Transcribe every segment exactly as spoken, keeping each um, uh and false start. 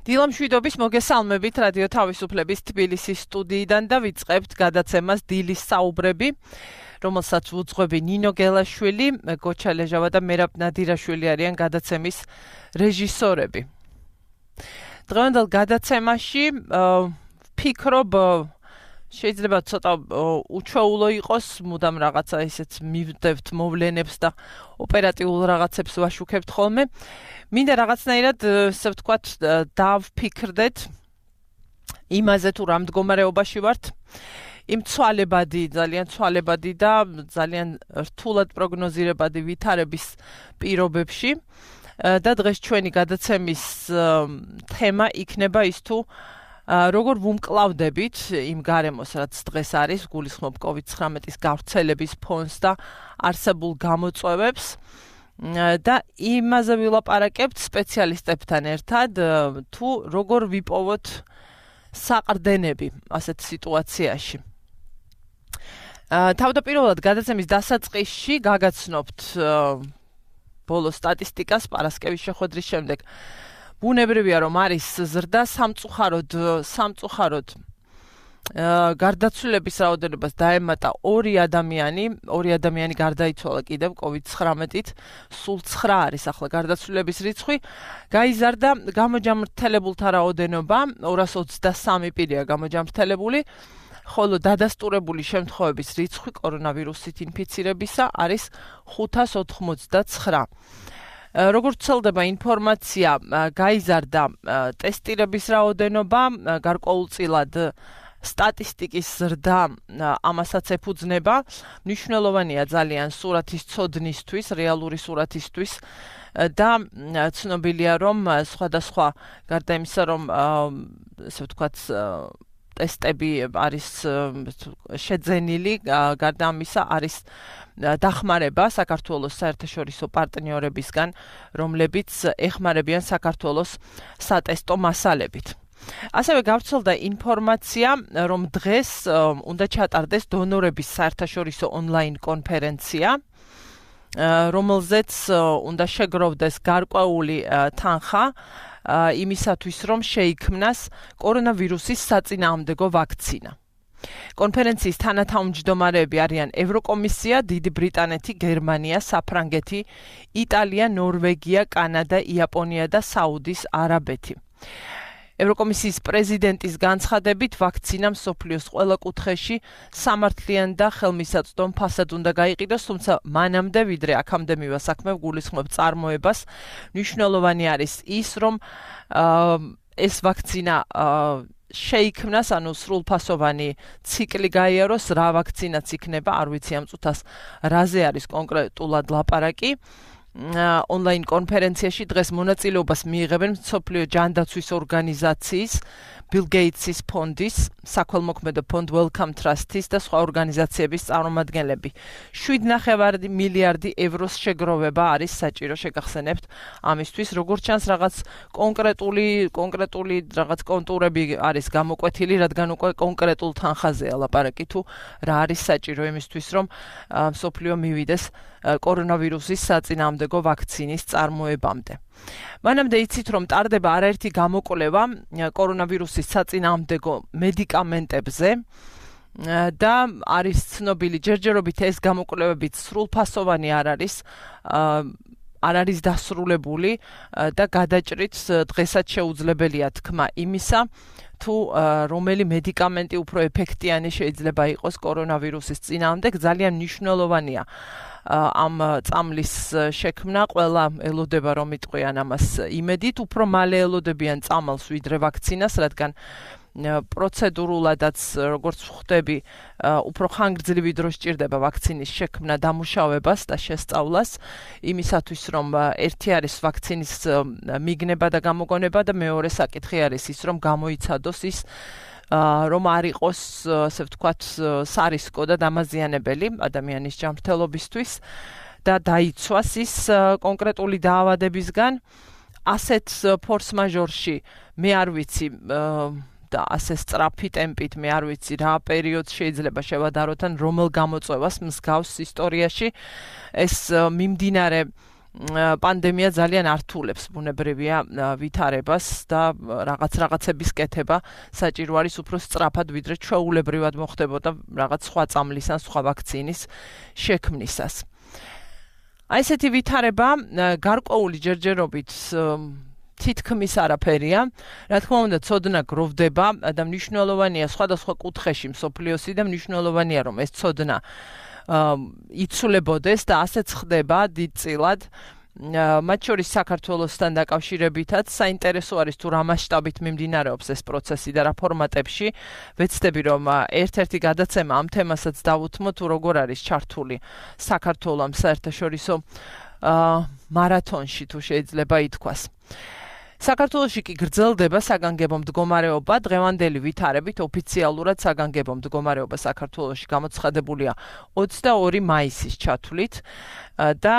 დილამშვიდობის მოგესალმებით რადიო თავისუფლების თბილისის სტუდიიდან და ვიწყებთ გადაცემას დილის საუბრები, რომელსაც უძღვები ნინო გელაშვილი, გოჩა ლეჟავა და მერაბ ნადირაშვილი არიან გადაცემის რეჟისორები. დღევანდელ გადაცემაში ვფიქრობ შეიძლება ცოტა უჩვეულო იყოს, მუდამ რაღაცა ისეთ მივდევთ მოვლენებს და ოპერატიულ რაღაცებს ვაშუქებთ ხოლმე. მინდა რაღაცნაირად, ესე ვთქვათ, დავფიქრდეთ იმაზე თუ რა მდგომარეობაში ვართ. იმ ცვალებადი, ძალიან ცვალებადი და ძალიან რთულად პროგნოზირებადი ვითარების პირობებში და დღეს ჩვენი გადაცემის თემა იქნება ის თუ როგორ ვუმკლავდებით იმ გარემოს, რაც დღეს არის, გულისხმობ კოვიდ ცხრამეტის გავრცელების ფონს და არსებულ გამოწვევებს და იმაზე ვილაპარაკებთ სპეციალისტებთან ერთად, თუ როგორ ვიპოვოთ საყრდენები ასეთ სიტუაციაში. თავდაპირველად გადაცემის დასაწყისში გაგაცნობთ ბოლო სტატისტიკას პარასკევის შეხვედრის შემდეგ. ბუნებრივია რომ არის ზრდა სამწუხაროდ სამწუხაროდ გარდაცვლილების რაოდენობას დაემატა ორი ადამიანი, ორი ადამიანი გარდაიცვალა კიდევ კოვიდ ცხრამეტით, სულ ცხრა არის ახლა გარდაცვლილების რიცხვი, გაიზარდა გამოჯამრთელებულთა რაოდენობა, ორას ოცდასამი პირია გამოჯამრთელებული, ხოლო დადასტურებული შემთხვევების რიცხვი კორონავირუსით ინფიცირებისა არის ხუთას ოთხმოცდაცხრა. როგორც ვრცელდება ინფორმაცია, გაიზარდა ტესტირების რაოდენობა, გარკვეულწილად სტატისტიკის ზრდა ამასაც ეფუძნება. მნიშვნელოვანია ძალიან სურათის ცოდნისთვის, რეალური სურათისთვის და ცნობილია რომ სხვადასხვა გარდა იმისა რომ ესე ვთქვათ ტესტები არის შეძენილი, გარდა ამისა არის დახმარება საქართველოს საერთაშორისო პარტნიორებისგან, რომლებიც ეხმარებიან საქართველოს სატესტო მასალებით. ასევე გავრცელდა ინფორმაცია, რომ დღეს უნდა ჩატარდეს დონორების საერთაშორისო ონლაინ კონფერენცია, რომელზეც უნდა შეგროვდეს გარკვეული თანხა იმისათვის, რომ შეიქმნას კორონავირუსის საწინააღმდეგო ვაქცინა. კონფერენციის თანათავმჯდომარეები არიან ევროკომისია, დიდი ბრიტანეთი, გერმანია, საფრანგეთი, იტალია, ნორვეგია, კანადა, იაპონია და საუდის არაბეთი. ევროკომისიის პრეზიდენტის განცხადებით, ვაქცინა მსოფლიოს ყველა კუთხეში სამართლიან და ხელმისაწვდომ ფასად უნდა გაიყიდოს, თუმცა მანამდე, ვიდრე აქამდე მივა საქმე, გულისხმობ წარმოებას, მნიშვნელოვანი არის ის, რომ ეს ვაქცინა შეიქმნას, ანუ სრულფასოვანი ციკლი გაიაროს, რა ვაქცინაც იქნება, არ ვიცი ამ წუთას რაზე არის კონკრეტულად ლაპარაკი. ონლაინ კონფერენციაში დღეს მონაწილეობას მიიღებენ მსოფლიო ჯანდაცვის ორგანიზაციის, ბილ გეიტსის ფონდის, საქველმოქმედო ფონდ Wellcome Trust-ის და სხვა ორგანიზაციების წარმომადგენლები. შვიდ ნახევარი მილიარდი ევროს შეგროვება არის საჭირო, შეგახსენებთ ამისთვის, როგორც ჩანს რაღაც კონკრეტული კონკრეტული რაღაც კონტურები არის გამოკვეთილი, რადგან უკვე კონკრეტულ თანხაზეა ლაპარაკი თუ რა არის საჭირო იმისთვის, რომ მსოფლიო მივიდეს კორონავირუსის საწინააღმდეგო ვაქცინის წარმოებამდე. მანამდე იცით რომ ტარდება არაერთი გამოკვლევა კორონავირუსის საწინააღმდეგო მედიკამენტებზე და არის ცნობილი ჯერჯერობით ეს გამოკვლევებიც სრულფასოვანი არ არის არ არის დასრულებული და გადაჭრით დღესაც შეუძლებელია თქმა იმისა თუ რომელი მედიკამენტი უფრო ეფექტიანი შეიძლება იყოს კორონავირუსის წინააღმდეგ. ძალიან მნიშვნელოვანია ამ წამლის შექმნა, ყველა ელოდება რომ იტყვიან ამას იმედით, უფრო მალე ელოდებიან წამალს ვიდრე ვაქცინას, რადგან პროცედურულადაც როგორც ხვდები, უფრო ხანგრძლივი დრო სჭირდება ვაქცინის შექმნა, დამუშავებას და შესწავლას, იმისათვის რომ ერთი არის ვაქცინის მიგნება და გამოგონება და მეორე საკითხი არის ის, რომ გამოიცადოს ის რომ არ იყოს, ასე ვთქვათ, სარისკო და დამაზიანებელი ადამიანის ჯანმრთელობისთვის და დაიცვას ის კონკრეტული დაავადებისგან. ასეთ ფორს-მაჟორში მე არ ვიცი და ასე სწრაფი ტემპით მე არ ვიცი რა პერიოდს შეიძლება შევადაროთ ან რომელ გამოწვევას მსგავს ისტორიაში ეს მიმდინარე პანდემია ძალიან ართულებს ბუნებრივია ვითარებას და რაღაც რაღაცების კეთება საჭირო არის უფრო სწრაფად ვიდრე ჩვეულებრივად მოხდებოდა რაღაც სხვა წამლის ან სხვა ვაქცინის შექმნისას. აი ესეთი ვითარება გარკვეული ჯერჯერობით თითქმის არაფერია. რა თქმა უნდა, ცოდნა გროვდება და მნიშვნელოვანია სხვადასხვა კუთხეში მსოფლიოსი და მნიშვნელოვანია რომ ეს ცოდნა იცვლებოდეს და ასეც ხდება დიდწილად. მათ შორის საქართველოსთან დაკავშირებითაც საინტერესო არის თუ რა მასშტაბით მიმდინარეობს ეს პროცესი და რა ფორმატებში. ვეცდები რომ ერთ-ერთი გადაცემა ამ თემასაც დავუთმო თუ როგორ არის ჩართული საქართველო ამ საერთაშორისო მარათონში თუ შეიძლება ითქვას. საქართველოში კი გრძელდება საგანგებო მდგომარეობა, დღევანდელი ვითარებით ოფიციალურად საგანგებო მდგომარეობა საქართველოში გამოცხადებულია ოცდაორი მაისის ჩათვლით და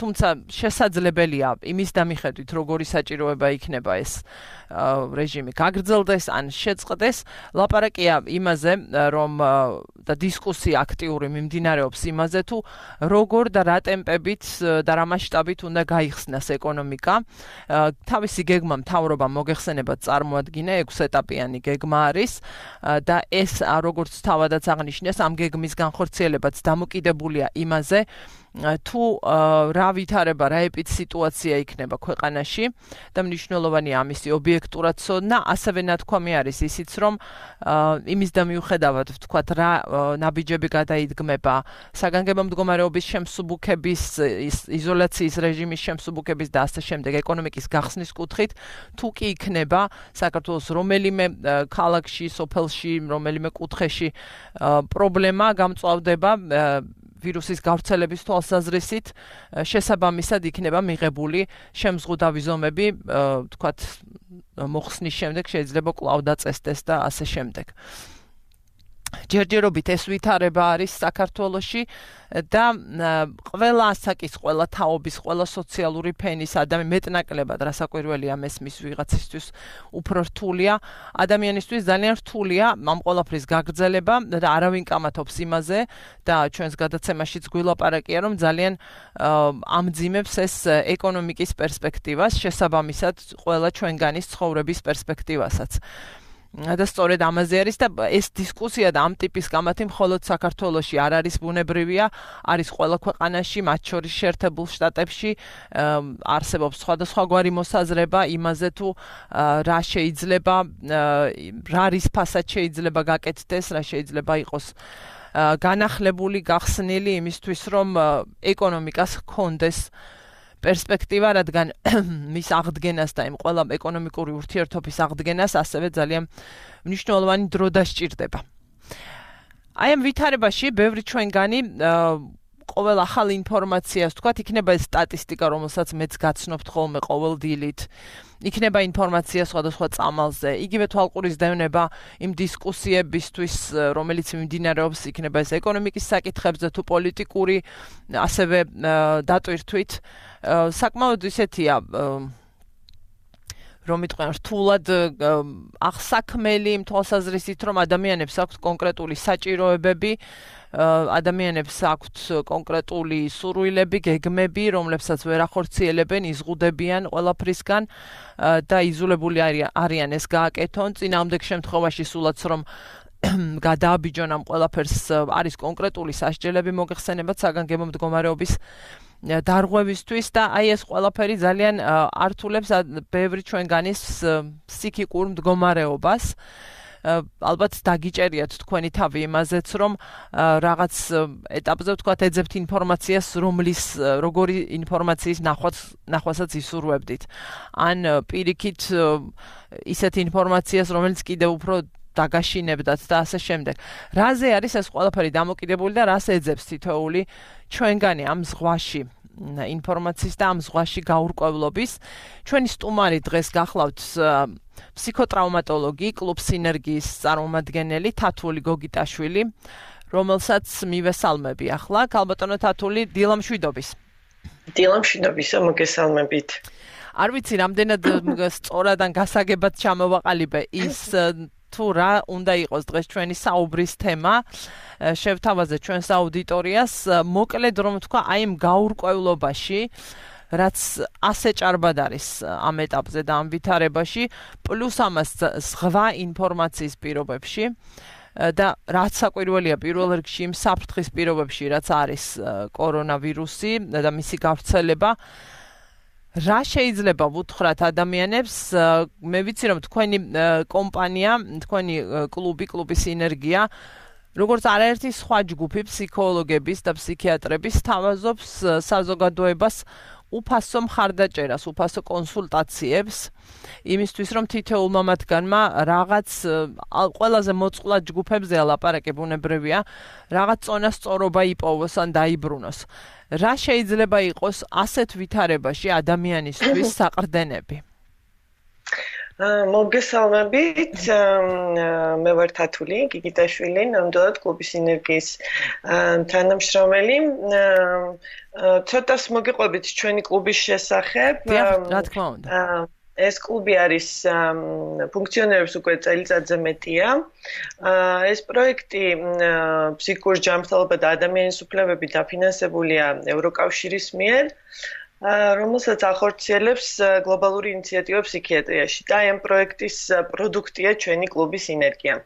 თუმცა შესაძლებელია იმის დამიხედვით როგორი საჭიროება იქნება ეს რეჟიმი გაგრძელდეს ან შეწყდეს, ლაპარაკია იმაზე რომ და დისკუსია აქტიური მიმდინარეობს იმაზე თუ როგორ და რა ტემპებით და რა მასშტაბით უნდა გაიხსნას ეკონომიკა. თავისი გეგმა მთავრობამ მოგეხსენებათ წარმოადგინა ექვსეტაპიანი გეგმა არის და ეს როგორც თავადაც აღნიშნეს ამ გეგმის განხორციელებაც დამოკიდებულია იმაზე თუ რა ვითარება, რა ეპიდსიტუაცია იქნება ქვეყანაში და მნიშვნელოვანია ამისი ობიექტურად ცოდნა, ასევე ნათქვამი არის ისიც რომ იმის და მიუხედავად ვთქვათ რა ნაბიჯები გადაიდგმება საგანგებო მდგომარეობის შემსუბუქების, იზოლაციის რეჟიმის შემსუბუქების და ასე შემდეგ ეკონომიკის გახსნის კუთხით, თუ კი იქნება საქართველოს რომელიმე ქალაქში, სოფელში, რომელიმე კუთხეში პრობლემა გამწვავდება ვირუსის გავრცელების თვალსაზრისით, შესაბამისად იქნება მიღებული შემზღუდავი ზომები, ვთქვათ, მოხსნის შემდეგ შეიძლება კვლავ დაწესდეს და ასე შემდეგ. ჯერჯერობით ეს ვითარება არის საქართველოში და ყველა ასაკის, ყველა თაობის, ყველა სოციალური ფენის ადამიანი მეტნაკლებად რასაკვირველია მესმის ვიღაცისთვის უფრო რთულია, ადამიანისთვის ძალიან რთულია ამ ყველაფრის გაგრძელება და არავინ კამათობს იმაზე და ჩვენს გადაცემაშიც გვილაპარაკია რომ ძალიან ამძიმებს ეს ეკონომიკის პერსპექტივას, შესაბამისად ყველა ჩვენგანის ცხოვრების პერსპექტივასაც. და სწორედ ამაზე არის და ეს დისკუსია და ამ ტიპის კამათი მხოლოდ საქართველოში არ არის ბუნებრივია, არის ყველა ქვეყანაში, მათ შორის შეერთებულ შტატებში არსებობს სხვადასხვაგვარი მოსაზრება იმაზე თუ რა შეიძლება, რა რისფასად შეიძლება გაკეთდეს, რა შეიძლება იყოს განახლებული, გახსნილი იმისთვის რომ ეკონომიკას ჰქონდეს პერსპექტივა, რადგან მის აღდგენას და იმ ყველა ეკონომიკური ურთიერთობის აღდგენას ასევე ძალიან მნიშვნელოვანი დრო დასჭირდება. აი ამ ვითარებაში ბევრი ჩვენგანი ყოველ ახალ ინფორმაციას, თქვათ, იქნება ეს სტატისტიკა, რომელსაც მეც გაცნობთ ხოლმე ყოველ დილით. იქნება ინფორმაცია სხვადასხვა წამალზე, იგივე თვალყურისდევნება იმ დისკუსიებისთვის, რომელიც მიმდინარეობს, იქნება ეს ეკონომიკის საკითხებზე თუ პოლიტიკური, ასევე დატვირთვით. საკმაოდ ისეთია რომ იტყვიან რთულად აღსაქმელი იმ თვალსაზრისით, რომ ადამიანებს აქვთ კონკრეტული საჭიროებები, ადამიანებს აქვთ კონკრეტული სურვილები, გეგმები, რომლებსაც ვერ ახორციელებენ, იზღუდებიან ყველაფრისგან და იზოლებული არიან ეს გააკეთონ. წინააღმდეგ შემთხვევაში სულაც რომ გადააბიჯონ ამ ყველაფერს არის კონკრეტული სასჯელები მოგეხსენებათ საგანგებო მდგომარეობის დარღვევისთვის და აი ეს ყველაფერი ძალიან ართულებს ბევრი ჩვენგანის ფსიქიკურ მდგომარეობას. ალბათ დაგიჭერიათ თქვენი თავი იმაზეც, რომ რაღაც ეტაპზე ვთქვათ, ეძებთ ინფორმაციას, რომლის როგორი ინფორმაციის ნახვასაც ისურვებდით. ან პირიქით ისეთ ინფორმაციას, რომელიც კიდევ უფრო დაგაშინებდათ და ასე შემდეგ. რაზე არის ეს ყველაფერი დამოკიდებული და რას ეძებს თითოეული ჩვენგანი ამ ზღვაში ინფორმაციის და ამ ზღვაში გაურკვევლობის. ჩვენი სტუმარი დღეს გახლავთ ფსიქოტრაუმატოლოგი, კლუბ სინერგიის წარმომადგენელი თათული გოგიტაშვილი, რომელსაც მივესალმები ახლა. ქალბატონო თათული, დილამშვიდობის. დილამშვიდობისა, მოგესალმებით. არ ვიცი, რამდენად სწორად ან გასაგებად ჩამოვაყალიბე ის თუ რა უნდა იყოს დღეს ჩვენი საუბრის თემა, შევთავაზეთ ჩვენს აუდიტორიას, მოკლედ რომ თქვა, აი ამ გაურკვევლობაში, რაც ასე ჭარბად არის ამ ეტაპზე და ამ ვითარებაში, პლუს ამას ზღვა ინფორმაციის პირობებში და რაც საკვირველია პირველ რიგში იმ საფრთხის პირობებში, რაც არის კორონავირუსი და მისი გავრცელება, რა შეიძლება ვუთხრათ ადამიანებს, მე ვიცი რომ თქვენი კომპანია, თქვენი კლუბი, კლუბი სინერგია, როგორც არაერთი სხვა ჯგუფი ფსიქოლოგების და ფსიქიატრების თავაზობს საზოგადოებას უფასო მხარდაჭერას, უფასო კონსულტაციებს, იმისთვის რომ თითოეულმა მათგანმა რაღაც ყველაზე მოწყვლად ჯგუფებზე ლაპარაკი ბუნებრივია, რაღაც წონასწორობა იპოვოს ან დაიბრუნოს. რა შეიძლება იყოს ასეთ ვითარებაში ადამიანისთვის საყრდენები? მოგესალმებით, მე ვარ თათული გიგიტაშვილი, ნამდვილად კლუბის სინერგიის თანამშრომელი. ცოტას მოგიყვებით ჩვენი კლუბის შესახებ. რა თქმა უნდა. ეს კლუბი არის ფუნქციონირებს უკვე წელიწადზე მეტია. ეს პროექტი ფსიქიკურ ჯანმრთელობა და ადამიანის უფლებები დაფინანსებულია ევროკავშირის მიერ, რომელსაც ახორციელებს გლობალური ინიციატივა ფსიქიატრიაში და ამ პროექტის პროდუქტია ჩვენი კლუბი სინერგია.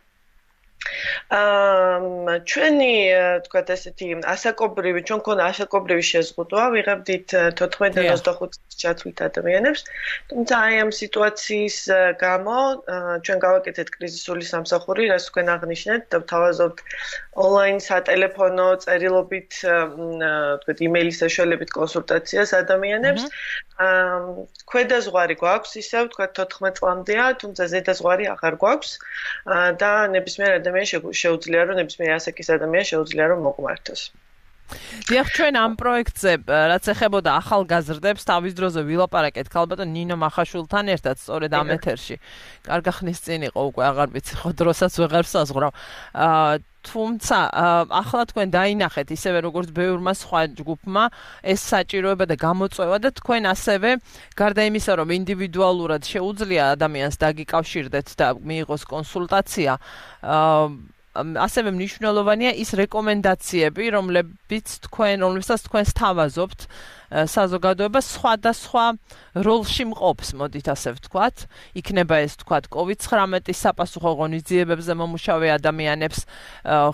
ჩვენი თქვათ ესეთი ასაკობრივი, ჩვენ გქონდა ასაკობრივი შეზღუდვა, ვიღებდით თოთხმეტ ოცდახუთ ჩათვლით ადამიანებს, თუმცა აი ამ სიტუაციის გამო ჩვენ გავაკეთეთ კრიზისული სამსახური, რაც თქვენ აღნიშნეთ და ვთავაზობთ ონლაინ სატელეფონო წერილობით, თქვათ იმეილის საშუალებით კონსულტაციას ადამიანებს. ქვედა ზღვარი გვაქვს, ისევ თქვათ თოთხმეტ წლამდეა, თუმცა ზედა ზღვარი აღარ გვაქვს და ნებისმიერ ადამიანს შეუძლია რომ ნებისმიერ ასაკის ადამიანს შეუძლია რომ მოგვართოს. დიახ, ჩვენ ამ პროექტზე, რაც ეხებოდა ახალგაზრდებს, თავის დროზე ვილაპარაკეთ ქალბატონ ნინო მახაშვილთან ერთად, სწორედ ამ ეთერში. კარგა ხნის წინ იყო უკვე, აღარ ვიცი, ხო დროსაც ვეღარ საზღვრავ. თუმცა ახლა თქვენ დაინახეთ ისევე როგორც ბევრმა სხვა ჯგუფმა ეს საჭიროება და გამოწვევა და თქვენ ასევე გარდა იმისა რომ ინდივიდუალურად შეუძლია ადამიანს დაგიკავშირდეთ და მიიღოს კონსულტაცია, ასევე მნიშვნელოვანია ის რეკომენდაციები, რომლებიც თქვენ, რომლებსაც თქვენ სთავაზობთ საზოგადოება სხვადასხვა როლში მყოფს, მოდით ასე ვთქვათ. იქნება ეს ვთქვათ კოვიდ ცხრამეტის საპასუხო ღონისძიებებზე მომუშავე ადამიანებს,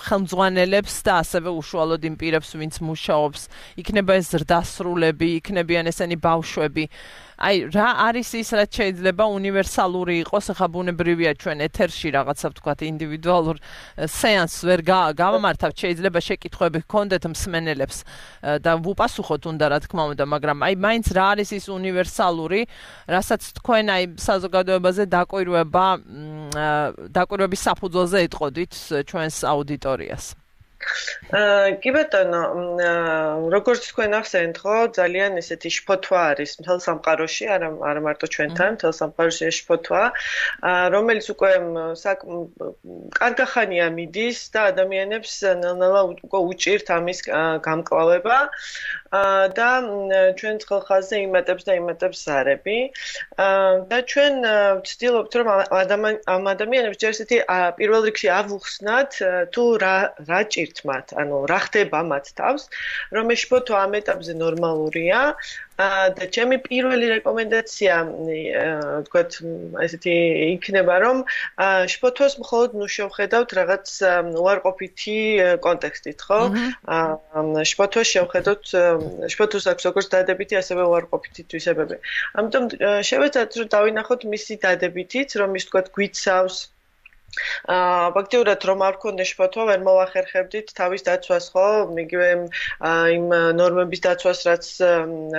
ხელმძღვანელებს და ასევე უშუალოდ იმ პირებს, ვინც მუშაობს. იქნება ეს ზრდასრულები, იქნებიან ესენი ბავშვები. აი, რა არის ის, რაც შეიძლება უნივერსალური იყოს, ახლა ბუნებრივია ჩვენ ეთერში რაღაცა ვთქვათ ინდივიდუალურ სეანსს ვერ გავამართავთ, შეიძლება შეკითხვები გქონდეთ მსმენელებს და ვუპასუხოთ უნდა რა თქმა უნდა, მაგრამ აი მაინც რა არის ის უნივერსალური, რასაც თქვენ აი საზოგადოებაზე დაკვირვება, დაკვირვების საფუძველზე ეტყოდით ჩვენს აუდიტორიას. კი ბატონო, როგორც თქვენ ახსენეთ, ხო, ძალიან ესეთი შფოთვა არის მთელ სამყაროში, არა არა მარტო ჩვენთან, მთელ სამყაროში ეს შფოთვა, რომელიც უკვე კარგახანია მიდის და ადამიანებს ნელ-ნელა უკვე უჭირთ ამის გამკლავება და ჩვენ ხალხაზე იმატებს და იმატებს ზარები და ჩვენ ვცდილობთ რომ ამ ადამიანებს ჯერ ესეთი პირველ რიგში ავუხსნათ თუ რა რა ჭირთ მათ, ანუ რა ხდება მათ თავს, რომ ეს შფოთვა ამ ეტაპზე ნორმალურია და ჩემი პირველი რეკომენდაცია, ვთქვათ, ესეთი იქნება, რომ შფოთვას მხოლოდ ნუ შევხედავთ რაღაც უარყოფითი კონტექსტით, ხო? შფოთვას შევხედოთ, შფოთვას აქვს როგორც დადებითი, ასევე უარყოფითი თვისებები. ამიტომ შევეცადოთ, რომ დავინახოთ მისი დადებითიც, რომ ის ვთქვათ გვიცავს ფაქტიურად რომ არ გქონდეს შფოთვა, ვერ მოვახერხებდით თავის დაცვას, ხო? იგივე იმ ნორმების დაცვას, რაც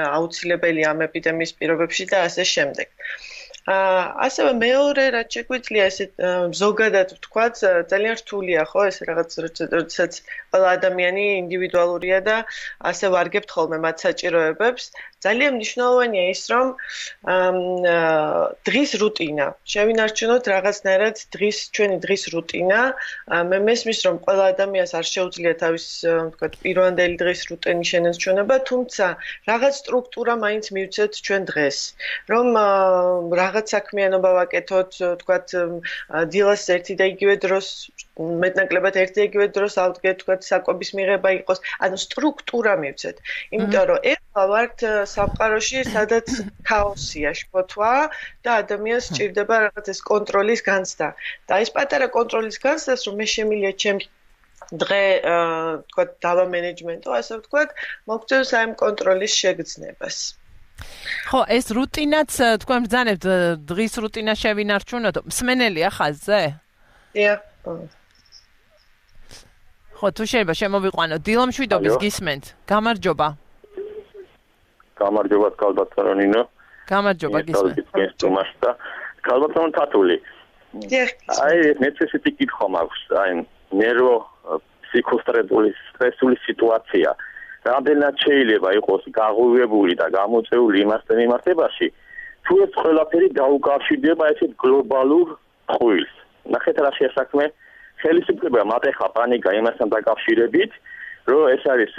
აუცილებელია ამ ეპიდემიის პირობებში და ასე შემდეგ. ასევე მეორე რაც შეგვიძლია ესე ზოგადად ვთქვათ, ძალიან რთულია, ხო, ეს რაღაც როდესაც ყველა ადამიანი ინდივიდუალურია და ასე ვარგებთ ხოლმე მათ საჭიროებებს ძალიან მნიშვნელოვანია ის, რომ დღის რუტინა. შევინარჩუნოთ რაღაცნაირად დღის ჩვენი დღის რუტინა. მე მესმის, რომ ყველა ადამიანს არ შეუძლია თავის, ვთქვათ, პირვანდელი დღის რუტინის შენარჩუნება, თუმცა რაღაც სტრუქტურა მაინც მივცეთ ჩვენ დღეს. რომ რაღაც საქმიანობა ვაკეთოთ, ვთქვათ, დილას ერთი და იგივე დროს მეტნაკლებად ერთი და იგივე დროს ავდგეთ, ვთქვათ, საკვების მიღება იყოს, ანუ სტრუქტურა მივცეთ. იმიტომ რომ ეხლა ვართ სამყაროში, სადაც ქაოსია, შფოთვა და ადამიანს სჭირდება რაღაც ეს კონტროლის განცდა. და ეს პატარა კონტროლის განცდას, რომ მე შემიძლია ჩემს დღე, ვთქვათ, დავა მენეჯმენტო, ასე ვთქვათ, მოგწევს აი ამ კონტროლის შეგრძნებას. ხო, ეს რუტინაც თქვენ ბრძანებთ დღის რუტინა შევინარჩუნოთ. მსმენელია ხაზზე? დიახ. ხო, თუ შეიძლება შემოვიყვანოთ. დილამშვიდობის გისმენთ. გამარჯობა. გამარჯობა კალბატონინო. გამარჯობა გისმენთ. კალბატონ თათული. დიახ. აი, მეცესეთი კითხვა მაქვს, აი, ნერვო ფსიქოსტრესული სტრესული სიტუაცია. რამდენად შეიძლება იყოს გაღვივებული და გამოწეული იმასთან მიმართებაში, თუ ეს ყველაფერი დაუკავშირდება ესეთ გლობალურ ხვილს. ნახეთ რა შეასაქმე ხელისუფლება მატეხა პანიკა იმასთან დაკავშირებით, რომ ეს არის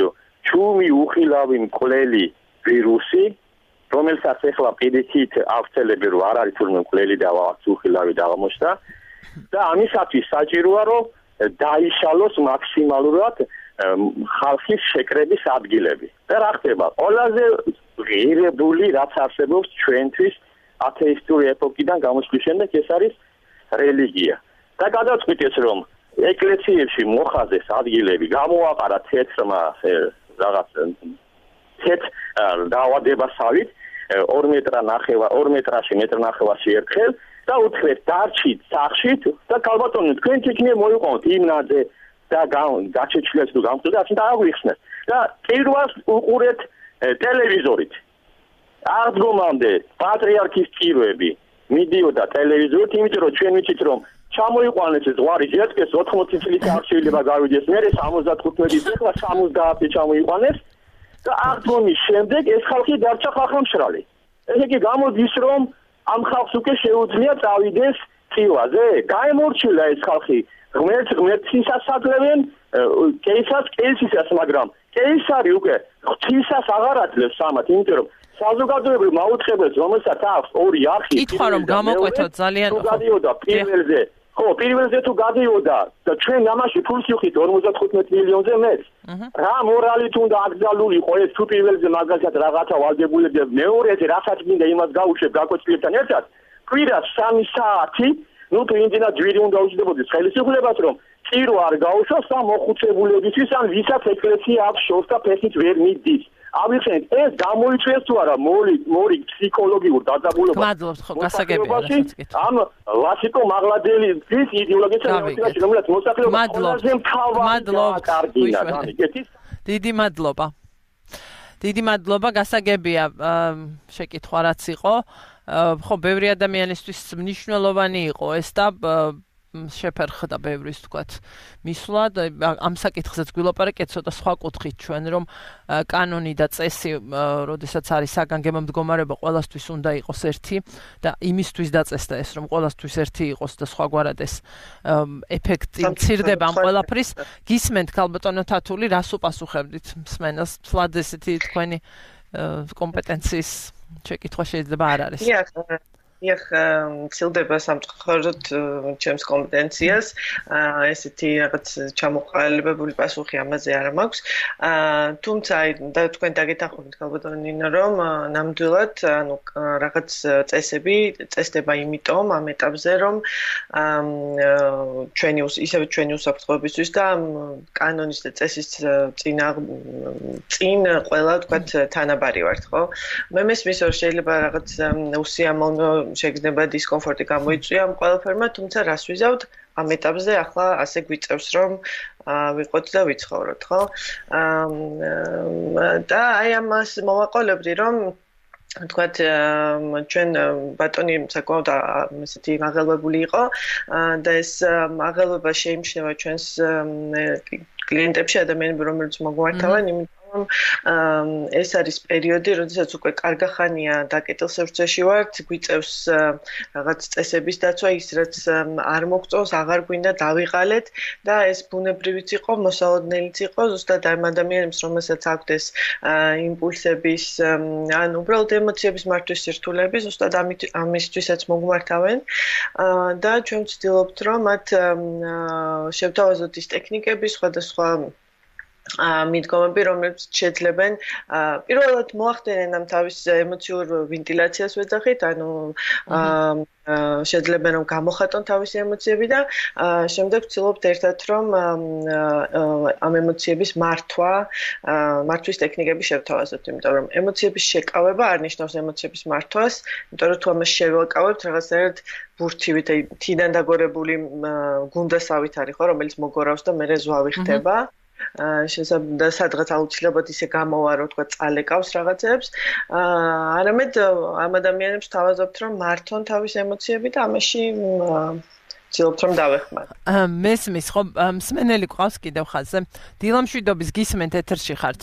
ჩუმი უხილავი მკვლელი ვირუსი, რომელსაც ახლა პირიქით ავრცელები რომ არ არის თურმე მკვლელი და ვაც უხილავი აღმოჩნდა და ამისათვის საჭიროა რომ დაიშალოს მაქსიმალურად ხალხის შეკრების ადგილები. და რა ხდება? ყველაზე ღირებული რაც არსებობს ჩვენთვის ათეისტური ეპოქიდან გამოსვლის შემდეგ ეს არის რელიგია. და გადაწყვიტეს რომ ეკლესიებში მოხაზეს ადგილები გამოაყარა თეთრმა რაღაც თეთ დაავადებასავით ორი მეტრა ნახევა ორი მეტრაში მეტр ნახევარში ერთხელ და უთხრეთ დარჩით სახშით და კალბატონი თქვენ თქნე მოიყვანოთ იმნაძე და გაჩეჩლეს თუ გამწვდა ასე და აღვიხსნეთ და პირველს უყურეთ ტელევიზორით აღდგომამდე პატრიარქის ტიროები მიდიოდა ტელევიზორით იმიტომ რომ ჩვენ ვიცით რომ ჩამოიყვანეს ეს ზღვარი ჯეთკეს ოთხმოცი წლის არ შეიძლება გავიდეს მე სამოცდათხუთმეტი წელს სამოცდაათი ჩამოიყვანეს და აღდგომის შემდეგ ეს ხალხი დარჩა ხალხმშრალი. ესე იგი გამოდის რომ ამ ხალხს უკვე შეუძლია წავიდეს წილვაზე. გაემორჩილა ეს ხალხი ღმერთს ღმერთისას აკლებენ კეისას კეისისას მაგრამ კეისარი უკვე ღვთისას აღარ აძლევს სამათ იმიტომ რომ საზოგადოებრივ მაუწყებელს რომელსაც აქვს ორი არხი კითხვა რომ გამოკვეთოთ ძალიან ხო გადიოდა პირველზე ხო პირველზე თუ გადიოდა და ჩვენ ამაში ფულს ვიხით ორმოცდათხუთმეტ მილიონზე მეც რა მორალით უნდა აკრძალული იყო ეს თუ პირველზე მაგალითად რაღაცა ვალდებულები მეორეზე რასაც მინდა იმას გაუშვებ გაკვეთილებთან ერთად კვირას სამი საათი ну თუ იმდენად ჯვირი უნდა უჯდებოდეს ხელისუფლებას რომ წირო არ გაუშვას და მოხუცებულებისთვის ან ვისაც ეკლესია აქვს შორს და ფეხით ვერ მიდის ავიხსენეთ ეს გამოიწვიეს თუ არა მორი მორი ფსიქოლოგიურ დაძაბულობას მადლობთ ხო გასაგებია რასაც გითხარით ამ ლასიკო მაღლადელის ის იდეოლოგიას რომელიც მოსახლეობას ყველაზე მთავარი კარგია დიდი მადლობა დიდი მადლობა გასაგებია შეკითხვა რაც იყო ხო ბევრი ადამიანისთვის მნიშვნელოვანი იყო ეს და შეფერხდა ბევრის თქვათ მისვლა და ამ საკითხზეც გვილაპარაკეთ ცოტა სხვა კუთხით ჩვენ რომ კანონი და წესი როდესაც არის საგანგებო მდგომარეობა ყველასთვის უნდა იყოს ერთი და იმისთვის დაწესდა ეს რომ ყველასთვის ერთი იყოს და სხვაგვარად ეს ეფექტი მცირდება ამ ყველაფრის გისმენთ ქალბატონო თათული რას უპასუხებდით მსმენელს თლად ესეთი თქვენი კომპეტენციის შეკითხვა შეიძლება არ არის ეხ მცილდება სამწუხაროდ ჩემს კომპეტენციას ესეთი რაღაც ჩამოყალიბებული პასუხი ამაზე არ მაქვს თუმცა აი და თქვენ დაგეთანხმებით ქალბატონინო რომ ნამდვილად ანუ რაღაც წესები წესდება იმიტომ ამ ეტაპზე რომ ჩვენი ისევე ჩვენი უსაფრთხოებისთვის და კანონის და წესის წინა წინ ყველა თქვათ თანაბარი ვართ ხო მე მესმის რომ შეიძლება რაღაც უსიამოვნო შეგრძნება დისკომფორტი გამოიწვია ამ ყველაფერმა, თუმცა რას ვიზავთ ამ ეტაპზე ახლა ასე გვიწევს რომ ვიყოთ და ვიცხოვროთ, ხო? და აი ამას მოვაყოლებდი რომ თქვათ ჩვენ ბატონი საკმაოდ ესეთი მაღელვებული იყო და ეს მაღელვება შეიმჩნევა ჩვენს კლიენტებში ადამიანები რომელიც მოგვართავენ იმიტომ რომ ეს არის პერიოდი, როდესაც უკვე კარგახანია დაკეტილსევრცეში ვართ, გვიწევს რაღაც წესების დაცვა, ის რაც არ მოგწონს, აღარ გვინდა დავიღალეთ და ეს ბუნებრივიც იყო, მოსალოდნელიც იყო, ზუსტად ამ ადამიანებს, რომელსაც აქვთ ეს იმპულსების, ან უბრალოდ ემოციების მართვის სირთულეები, ზუსტად ამისთვისაც მოგმართავენ და ჩვენ ვცდილობთ, რომ მათ შევთავაზოთ ის ტექნიკები, სხვადასხვა მიდგომები, რომლებიც შეძლებენ პირველად მოახდენენ ამ თავის ემოციურ ვენტილაციას ვეძახით, ანუ შეძლებენ რომ გამოხატონ თავისი ემოციები და შემდეგ ვცდილობთ ერთად რომ ამ ემოციების მართვა, მართვის ტექნიკები შევთავაზოთ, იმიტომ რომ ემოციების შეკავება არ ნიშნავს ემოციების მართვას, იმიტომ რომ თუ ამას შევაკავებთ რაღაცნაირად ბურთივით, აი თიდან დაგორებული გუნდასავით არის ხო, რომელიც მოგორავს და მერე ზვავი ხდება. შესაძლოა სადღაც აუცილებლად ისე გამოვარო, თქვა წალეკავს რაღაცებს. არამედ ამ ადამიანებს თავაზობთ, რომ მართონ თავის ემოციები და ამაში ვცდილობთ, რომ დავეხმაროთ. მესმის, ხო, მსმენელი გვყავს კიდევ ხაზზე. დილამშვიდობის გისმენთ ეთერში ხართ.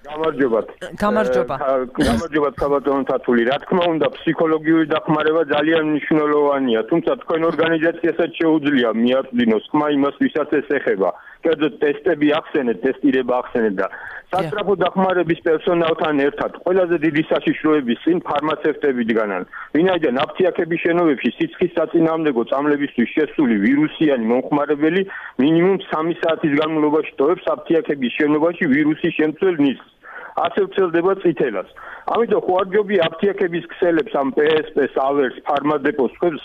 გამარჯობათ. გამარჯობა. გამარჯობათ საბატონო თათული. რა თქმა უნდა, ფსიქოლოგიური დახმარება ძალიან მნიშვნელოვანია, თუმცა თქვენ ორგანიზაციასაც შეუძლია მიაწვდინოს ხმა იმას, ვისაც ეს ეხება. კერძოდ ტესტები ახსენეთ, ტესტირება ახსენეთ და სასწრაფო დახმარების პერსონალთან ერთად ყველაზე დიდი საშიშროების წინ ფარმაცევტები დგანან. ვინაიდან აფთიაქების შენობებში სიცხის საწინააღმდეგო წამლებისთვის შესული ვირუსიანი მომხმარებელი მინიმუმ სამი საათის განმავლობაში ტოვებს აფთიაქების შენობაში ვირუსის შემცველ ნისლს. ასე ვრცელდება წითელას. ამიტომ ხوارჯობი აფთიაქების ქსელებს ამ პე ეს პეს, ავერს, ფარმადეპოს ხებს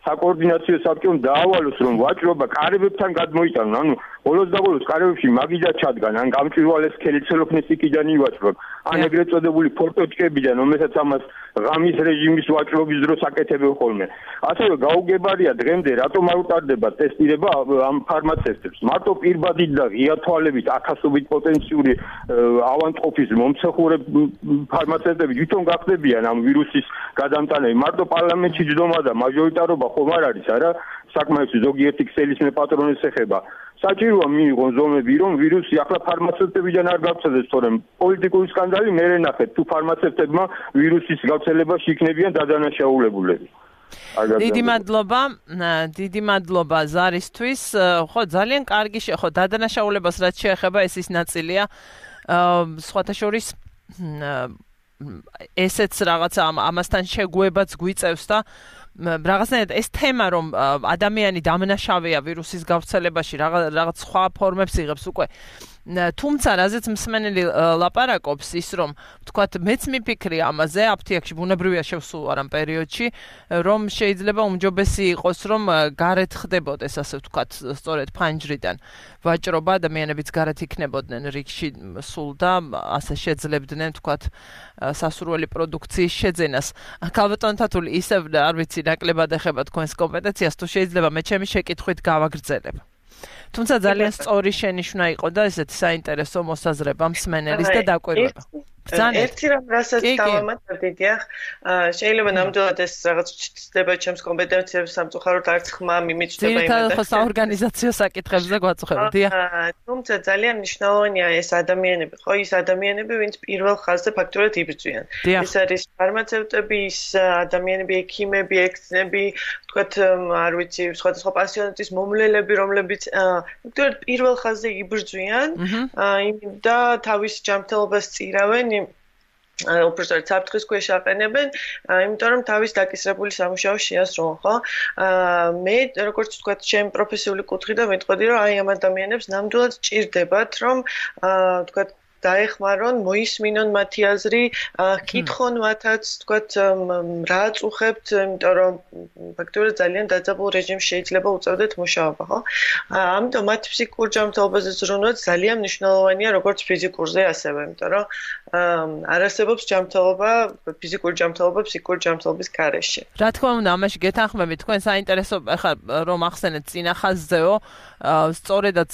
საკოორდინაციო საბჭომ დაავალოს, რომ ვაჭრობა კარებებთან გადმოიტანონ, ანუ ბოლოს და ბოლოს კარებებში მაგიდა ჩადგან, ან გამჭვირვალეს სქელი ცელოფნის იქიდან ივაჭრონ, ან ეგრეთ წოდებული ფორტოჭკებიდან, რომელსაც ამას ღამის რეჟიმის ვაჭრობის დროს აკეთებენ ხოლმე. ასევე გაუგებარია დღემდე რატომ არ უტარდება ტესტირება ამ ფარმაცევტებს. მარტო პირბადით და ღია თვალებით ათასობით პოტენციური ავანტყოფის მომცეხურე ფარმაცევტები თვითონ გახდებიან ამ ვირუსის გადამტანები. მარტო პარლამენტში ჯდომა და მაჟორიტარობა ხომ არ არის, არა? საკმაოდ ზოგიერთი ქსელის მეპატრონეს ეხება. საჭიროა მიიღონ ზომები, რომ ვირუსი ახლა ფარმაცევტებიდან არ გავრცელდეს, თორემ პოლიტიკური სკანდალი მერე ნახეთ, თუ ფარმაცევტებმა ვირუსის გავრცელებაში იქნებიან დადანაშაულებულები. დიდი მადლობა, დიდი მადლობა ზარისთვის. ხო, ძალიან კარგი ხო, დადანაშაულებას რაც შეეხება, ეს ის ნაწილია. სხვათა შორის ესეც რაღაცა ამასთან შეგუებაც გვიწევს და რაღაცნაირად ეს თემა რომ ადამიანი დამნაშავეა ვირუსის გავრცელებაში რაღაც სხვა ფორმებს იღებს უკვე თუმცა რაზეც მსმენელი ლაპარაკობს ის რომ თქვათ მეც მიფიქრი ამაზე აფთიაქში ბუნებრივია შევსულ არ ამ პერიოდში რომ შეიძლება უმჯობესი იყოს რომ გარეთ ხდებოდეს ასე ვთქვათ სწორედ ფანჯრიდან ვაჭრობა ადამიანებიც გარეთ იქნებოდნენ რიგში სულ და ასე შეძლებდნენ ვთქვათ სასურველი პროდუქციის შეძენას ქალბატონ თათული ისევ არ ვიცი ნაკლებად ეხება თქვენს კომპეტენციას თუ შეიძლება მე ჩემი შეკითხვით გავაგრძელებ თუმცა ძალიან სწორი შენიშვნა იყო და ესეთი საინტერესო მოსაზრება მსმენელის და დაკვირვება. ერთი რამ რასაც დავამატებდი, დიახ, შეიძლება ნამდვილად ეს რაღაც ჩნდება ჩემს კომპეტენციებს სამწუხაროდ არც ხმა მიმიჩნდება იმედა. ძირითადად ხო საორგანიზაციო საკითხებზე გვაწუხებთ, დიახ. თუმცა ძალიან მნიშვნელოვანია ეს ადამიანები, ხო, ის ადამიანები, ვინც პირველ ხაზზე ფაქტურად იბრძვიან. ეს არის ფარმაცევტები, ის ადამიანები, ექიმები, ექცნები, თქვათ, არ ვიცი, სხვადასხვა პასიონატის მომლელები, რომლებიც ფაქტურად პირველ ხაზზე იბრძვიან და თავის ჯანმრთელობას წირავენ უბრალოდ საფრთხის ქვეშ აყენებენ, იმიტომ რომ თავის დაკისრებული სამუშაო შეასრულონ, ხო? მე როგორც ვთქვათ, ჩემ პროფესიული კუთხიდან მეტყოდი, რომ აი ამ ადამიანებს ნამდვილად ჭირდებათ, რომ ვთქვათ დაეხმარონ, მოისმინონ მათი აზრი, კითხონ მათაც, ვთქვათ, რა აწუხებთ, იმიტომ რომ ფაქტობრივად ძალიან დაძაბულ რეჟიმში შეიძლება უწევდეთ მუშაობა, ხო? ამიტომ მათ ფსიქიკურ ჯანმრთელობაზე ზრუნვა ძალიან მნიშვნელოვანია, როგორც ფიზიკურზე ასევე, იმიტომ რომ არ არსებობს ჯანმრთელობა, ფიზიკური ჯანმრთელობა ფსიქიკური ჯანმრთელობის გარეშე. რა თქმა უნდა, ამაში გეთანხმებით, თქვენ საინტერესო ახლა რომ ახსენეთ წინა ხაზზეო, სწორედაც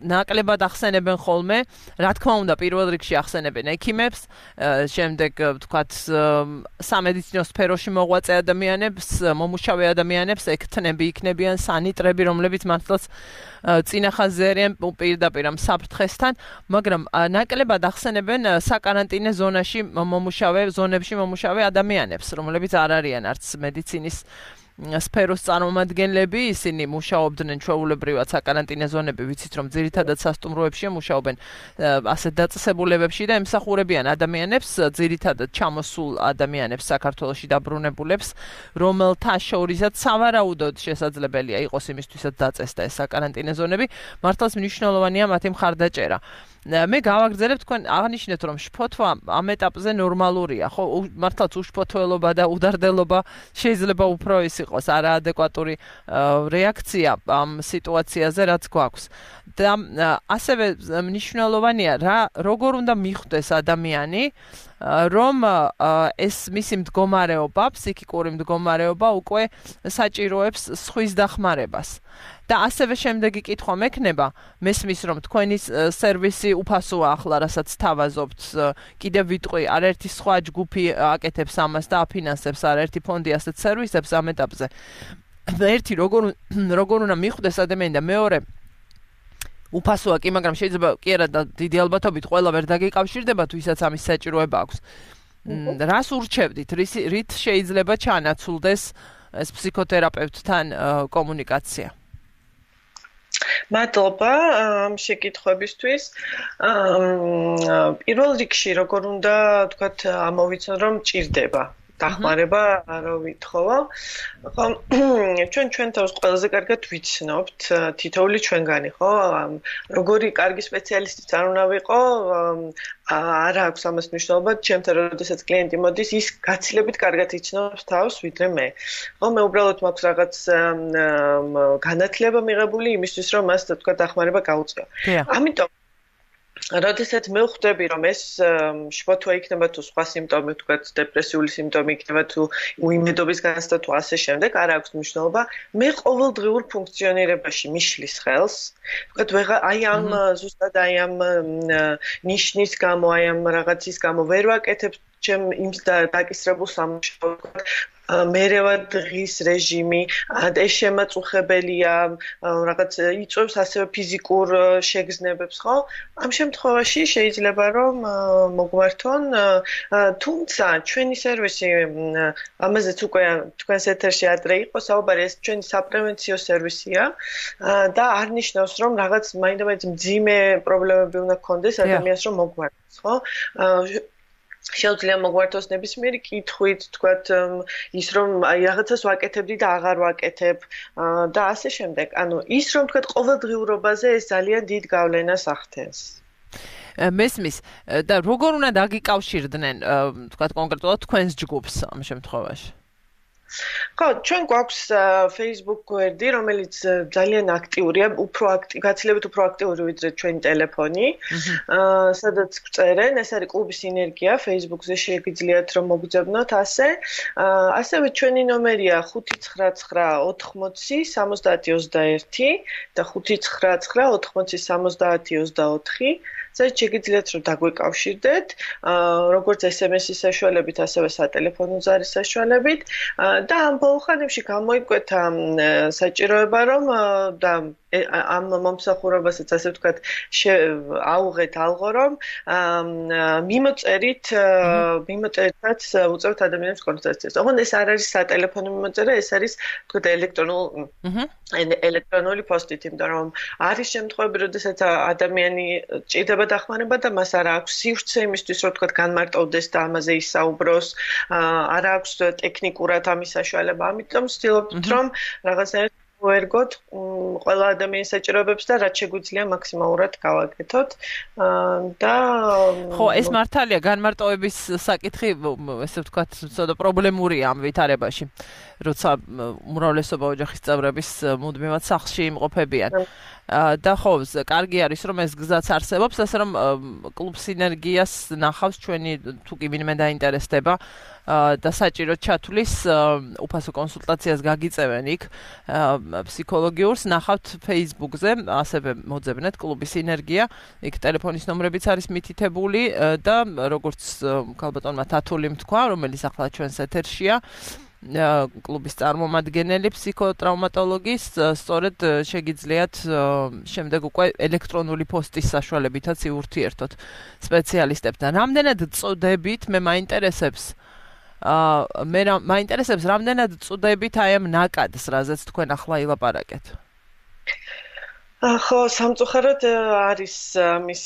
ნაკლებად ახსენებენ ხოლმე, რა თქმა თქმა უნდა, პირველ რიგში ახსენებენ ექიმებს, შემდეგ ვთქვათ, სამედიცინო სფეროში მოღვაწე ადამიანებს, მომუშავე ადამიანებს, ექთნები იქნებიან, სანიტრები, რომლებიც მართლაც წინახაზე არიან პირდაპირ ამ საფრთხესთან, მაგრამ ნაკლებად ახსენებენ საკარანტინე ზონაში მომუშავე, ზონებში მომუშავე ადამიანებს, რომლებიც არ არიან არც მედიცინის სფეროს წარმომადგენლები, ისინი მუშაობდნენ ჩვეულებრივად საკარანტინე ზონები, ვიცით რომ ძირითადად სასტუმროებშია მუშაობენ ასეთ დაწესებულებებში და ემსახურებიან ადამიანებს, ძირითადად ჩამოსულ ადამიანებს საქართველოში დაბრუნებულებს, რომელთა შორისაც სავარაუდოდ შესაძლებელია იყოს იმისთვისაც დაწესდა ეს საკარანტინე ზონები, მართლაც მნიშვნელოვანია მათი მხარდაჭერა. მე გავაგრძელებ თქვენ აღნიშნეთ რომ შფოთვა ამ ეტაპზე ნორმალურია, ხო, მართლაც უშფოთველობა და უდარდელობა შეიძლება უფრო ის იყოს არაადეკვატური რეაქცია ამ სიტუაციაზე, რაც გვაქვს. და ასევე მნიშვნელოვანია რა როგორ უნდა მიხვდეს ადამიანი რომ ეს მისი მდგომარეობა, ფსიქიკური მდგომარეობა უკვე საჭიროებს სხვის დახმარებას. და ასევე შემდეგი კითხვა მექნება, მესმის რომ თქვენი სერვისი უფასოა ახლა, რასაც თავაზობთ, კიდევ ვიტყვი, არაერთი სხვა ჯგუფი აკეთებს ამას და აფინანსებს არაერთი ფონდი ასეთ სერვისებს ამ ეტაპზე. ერთი როგორ როგორ უნდა მიხვდეს ადამიანი და მეორე უფასოა კი, მაგრამ შეიძლება კი არა და დიდი ალბათობით ყველა ვერ დაგეკავშირდება თუ ისაც ამის საჭიროება აქვს. რას ურჩევდით, რით შეიძლება ჩანაცვლდეს ეს ფსიქოთერაპევტთან კომუნიკაცია? მადლობა ამ შეკითხვებისთვის. პირველ რიგში როგორ უნდა თქვათ ამოვიცნო რომ ჭირდება დახმარება არ ვითხოვო. ხო, ჩვენ ჩვენ თავს ყველაზე კარგად ვიცნობთ თითოეული ჩვენგანი, ხო? როგორი კარგი სპეციალისტიც არ უნდა ვიყო, არ აქვს ამას მნიშვნელობა, ჩემთან როდესაც კლიენტი მოდის, ის გაცილებით კარგად იცნობს თავს ვიდრე მე. ხო, მე უბრალოდ მაქვს რაღაც განათლება მიღებული იმისთვის, რომ მას თქვა დახმარება გაუწიო. ამიტომ როდესაც მე ვხვდები რომ ეს შფოთვა იქნება თუ სხვა სიმპტომი, თქვა დეპრესიული სიმპტომი იქნება თუ უიმედობის განცდა თუ ასე შემდეგ, არ აქვს მნიშვნელობა. მე ყოველდღიურ ფუნქციონირებაში მიშლის ხელს, თქვა ვეღარ აი ამ ზუსტად აი ამ ნიშნის გამო, აი ამ რაღაცის გამო ვერ ვაკეთებ ჩემ იმ დაკისრებულ სამუშაოდ, მერევა დღის რეჟიმი, ეს შემაწუხებელია, რაღაც იწვევს ასევე ფიზიკურ შეგრძნებებს, ხო? ამ შემთხვევაში შეიძლება რომ მოგვართონ, თუმცა ჩვენი სერვისი ამაზეც უკვე თქვენს ეთერში ადრე იყო საუბარი, ეს ჩვენი საპრევენციო სერვისია და არ ნიშნავს რომ რაღაც მაინდამაინც მძიმე პრობლემები უნდა გქონდეს ადამიანს რომ მოგვართოს, ხო? შეუძლია მოგვართოს ნებისმიერი კითხვით, თქვათ ის რომ აი რაღაცას ვაკეთებდი და აღარ ვაკეთებ და ასე შემდეგ. ანუ ის რომ თქვათ ყოველდღიურობაზე ეს ძალიან დიდ გავლენას ახდენს. მესმის და როგორ უნდა დაგიკავშირდნენ, თქვათ კონკრეტულად თქვენს ჯგუფს ამ შემთხვევაში? ხო, ჩვენ გვაქვს Facebook გვერდი, რომელიც ძალიან აქტიურია, უფრო აქტი, გაცილებით უფრო აქტიური ვიდრე ჩვენი ტელეფონი. აა, სადაც გწერენ, ეს არის კლუბი სინერგია, Facebook-ზე შეგიძლიათ რომ მოგძებნოთ ასე. აა, ასევე ჩვენი ნომერია ხუთი ცხრა ცხრა ოთხმოცი სამოცდაათი ოცდაერთი და ხუთი ცხრა ცხრა ოთხმოცი სამოცდაათი ოცდაოთხი. სადაც შეგიძლიათ რომ დაგვეკავშირდეთ, როგორც ეს ემ ეს-ის საშუალებით, ასევე სატელეფონო ზარის საშუალებით და ამ ბოლო ხანებში გამოიკვეთა საჭიროება რომ და ამ მომსახურებასაც ასე ვთქვათ აუღეთ ალღო რომ მიმოწერით მიმოწერითაც უწევთ ადამიანებს კონსულტაციას. ოღონდ ეს არ არის სატელეფონო მიმოწერა, ეს არის ვთქვათ ელექტრონული ელექტრონული პოსტით, იმიტომ რომ არის შემთხვევები, როდესაც ადამიანი ჭირდება დახმარება და მას არ აქვს სივრცე იმისთვის, რომ ვთქვათ განმარტოვდეს და ამაზე ისაუბროს, არ აქვს ტექნიკურად ამის საშუალება. ამიტომ ვცდილობთ რომ რაღაცნაირად ვერგოთ ყველა ადამიანის საჭიროებებს და რაც შეგვიძლია მაქსიმალურად გავაკეთოთ და ხო, ეს მართალია განმარტოვების საკითხი, ესე ვთქვათ, ცოტა პრობლემურია ამ ვითარებაში, როცა უმრავლესობა ოჯახის წევრების მუდმივად სახლში იმყოფებიან. და ხო, კარგი არის რომ ეს გზაც არსებობს, ასე რომ კლუბ სინერგიას ნახავს ჩვენი თუ კი ვინმე დაინტერესდება და საჭიროდ ჩათვლის უფასო კონსულტაციას გაგიწევენ იქ. ფსიქოლოგიურს ნახავთ Facebook-ზე, ასევე მოძებნეთ კლუბის სინერგია, იქ ტელეფონის ნომრებიც არის მითითებული და როგორც ქალბატონმა თათულიმ თქვა, რომელიც ახლა ჩვენს ეთერშია, კლუბის წარმომადგენელი ფსიქოტრაუმატოლოგის, სწორედ შეგიძლიათ შემდეგ უკვე ელექტრონული პოსტის საშუალებითაც იურთიერთოთ სპეციალისტებთან. რამდენად წოდებით, მე მაინტერესებს აა მე მაინტერესებს რამდენად წოდებით აი ამ ნაკადს, რაზეც თქვენ ახლა ილაპარაკეთ. ხო, სამწუხაროდ არის მის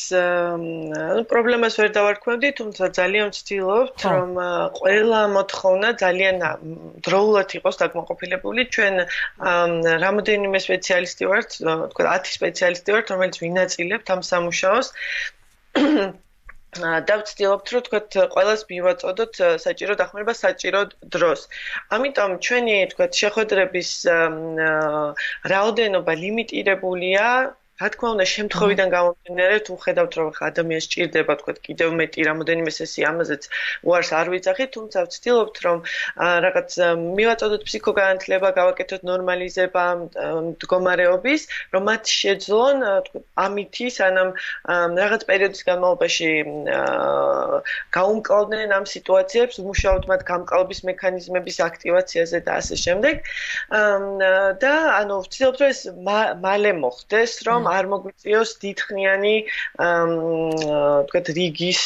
პრობლემას ვერ დავარქმევდი, თუმცა ძალიან ვცდილობთ, რომ ყველა მოთხოვნა ძალიან დროულად იყოს დაკმაყოფილებული. ჩვენ რამოდენიმე სპეციალისტი ვართ, თქვა ათი სპეციალისტი ვართ, რომელიც ვინაწილებთ ამ სამუშაოს. და ვცდილობთ, რომ თქვათ, ყველას მივაწოდოთ საჭირო დახმარება საჭირო დროს. ამიტომ ჩვენი, თქვათ, შეხვედრების რაოდენობა ლიმიტირებულია. რა თქმა უნდა, შემთხვევიდან გამომდინარე, თუ ხედავთ, რომ ადამიანს სჭირდება, თქვათ, კიდევ მეტი რამოდენიმე სესია, ამაზეც უარს არ ვიძახით, თუმცა ვცდილობთ, რომ რაღაც მივაწოდოთ ფსიქოგანათლება, გავაკეთოთ ნორმალიზება მდგომარეობის, რომ მათ შეძლონ, თქვათ, ამითი, სანამ რაღაც პერიოდის განმავლობაში გაუმკლავდნენ ამ სიტუაციებს, ვმუშაობთ მათ გამკლავების მექანიზმების აქტივაციაზე და ასე შემდეგ. და ანუ ვცდილობთ, რომ ეს მალე მოხდეს, რომ არ მოგვიწიოს დიდხნიანი თქვათ რიგის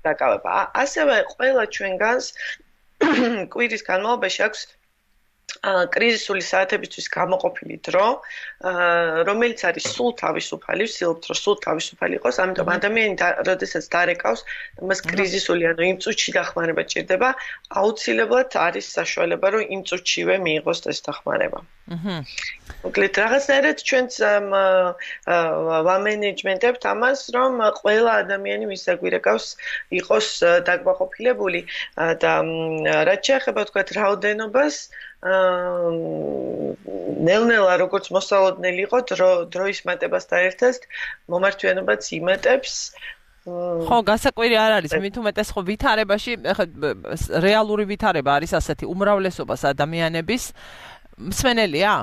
დაკავება. ასევე ყველა ჩვენგანს კვირის განმავლობაში აქვს კრიზისული საათებისთვის გამოყოფილი დრო, რომელიც არის სულ თავისუფალი, ვცდილობთ, რომ სულ თავისუფალი იყოს, ამიტომ ადამიანი, როდესაც დარეკავს, მას კრიზისული, ანუ იმ წუთში დახმარება ჭირდება, აუცილებლად არის საშუალება, რომ იმ წუთშივე მიიღოს ეს დახმარება. მოკლედ, რაღაცნაირად ჩვენც ვამენეჯმენტებთ ამას, რომ ყველა ადამიანი, ვის აგვირეკავს, იყოს დაკმაყოფილებული და რაც შეეხება, თქვათ, რაოდენობას, ნელ-ნელა როგორც მოსალოდნელი იყო დროის მატებასთან ერთად მომართვიანობაც იმატებს. ხო, გასაკვირი არ არის, მით უმეტეს ხო ვითარებაში, რეალური ვითარება არის ასეთი უმრავლესობას ადამიანების მსმენელია?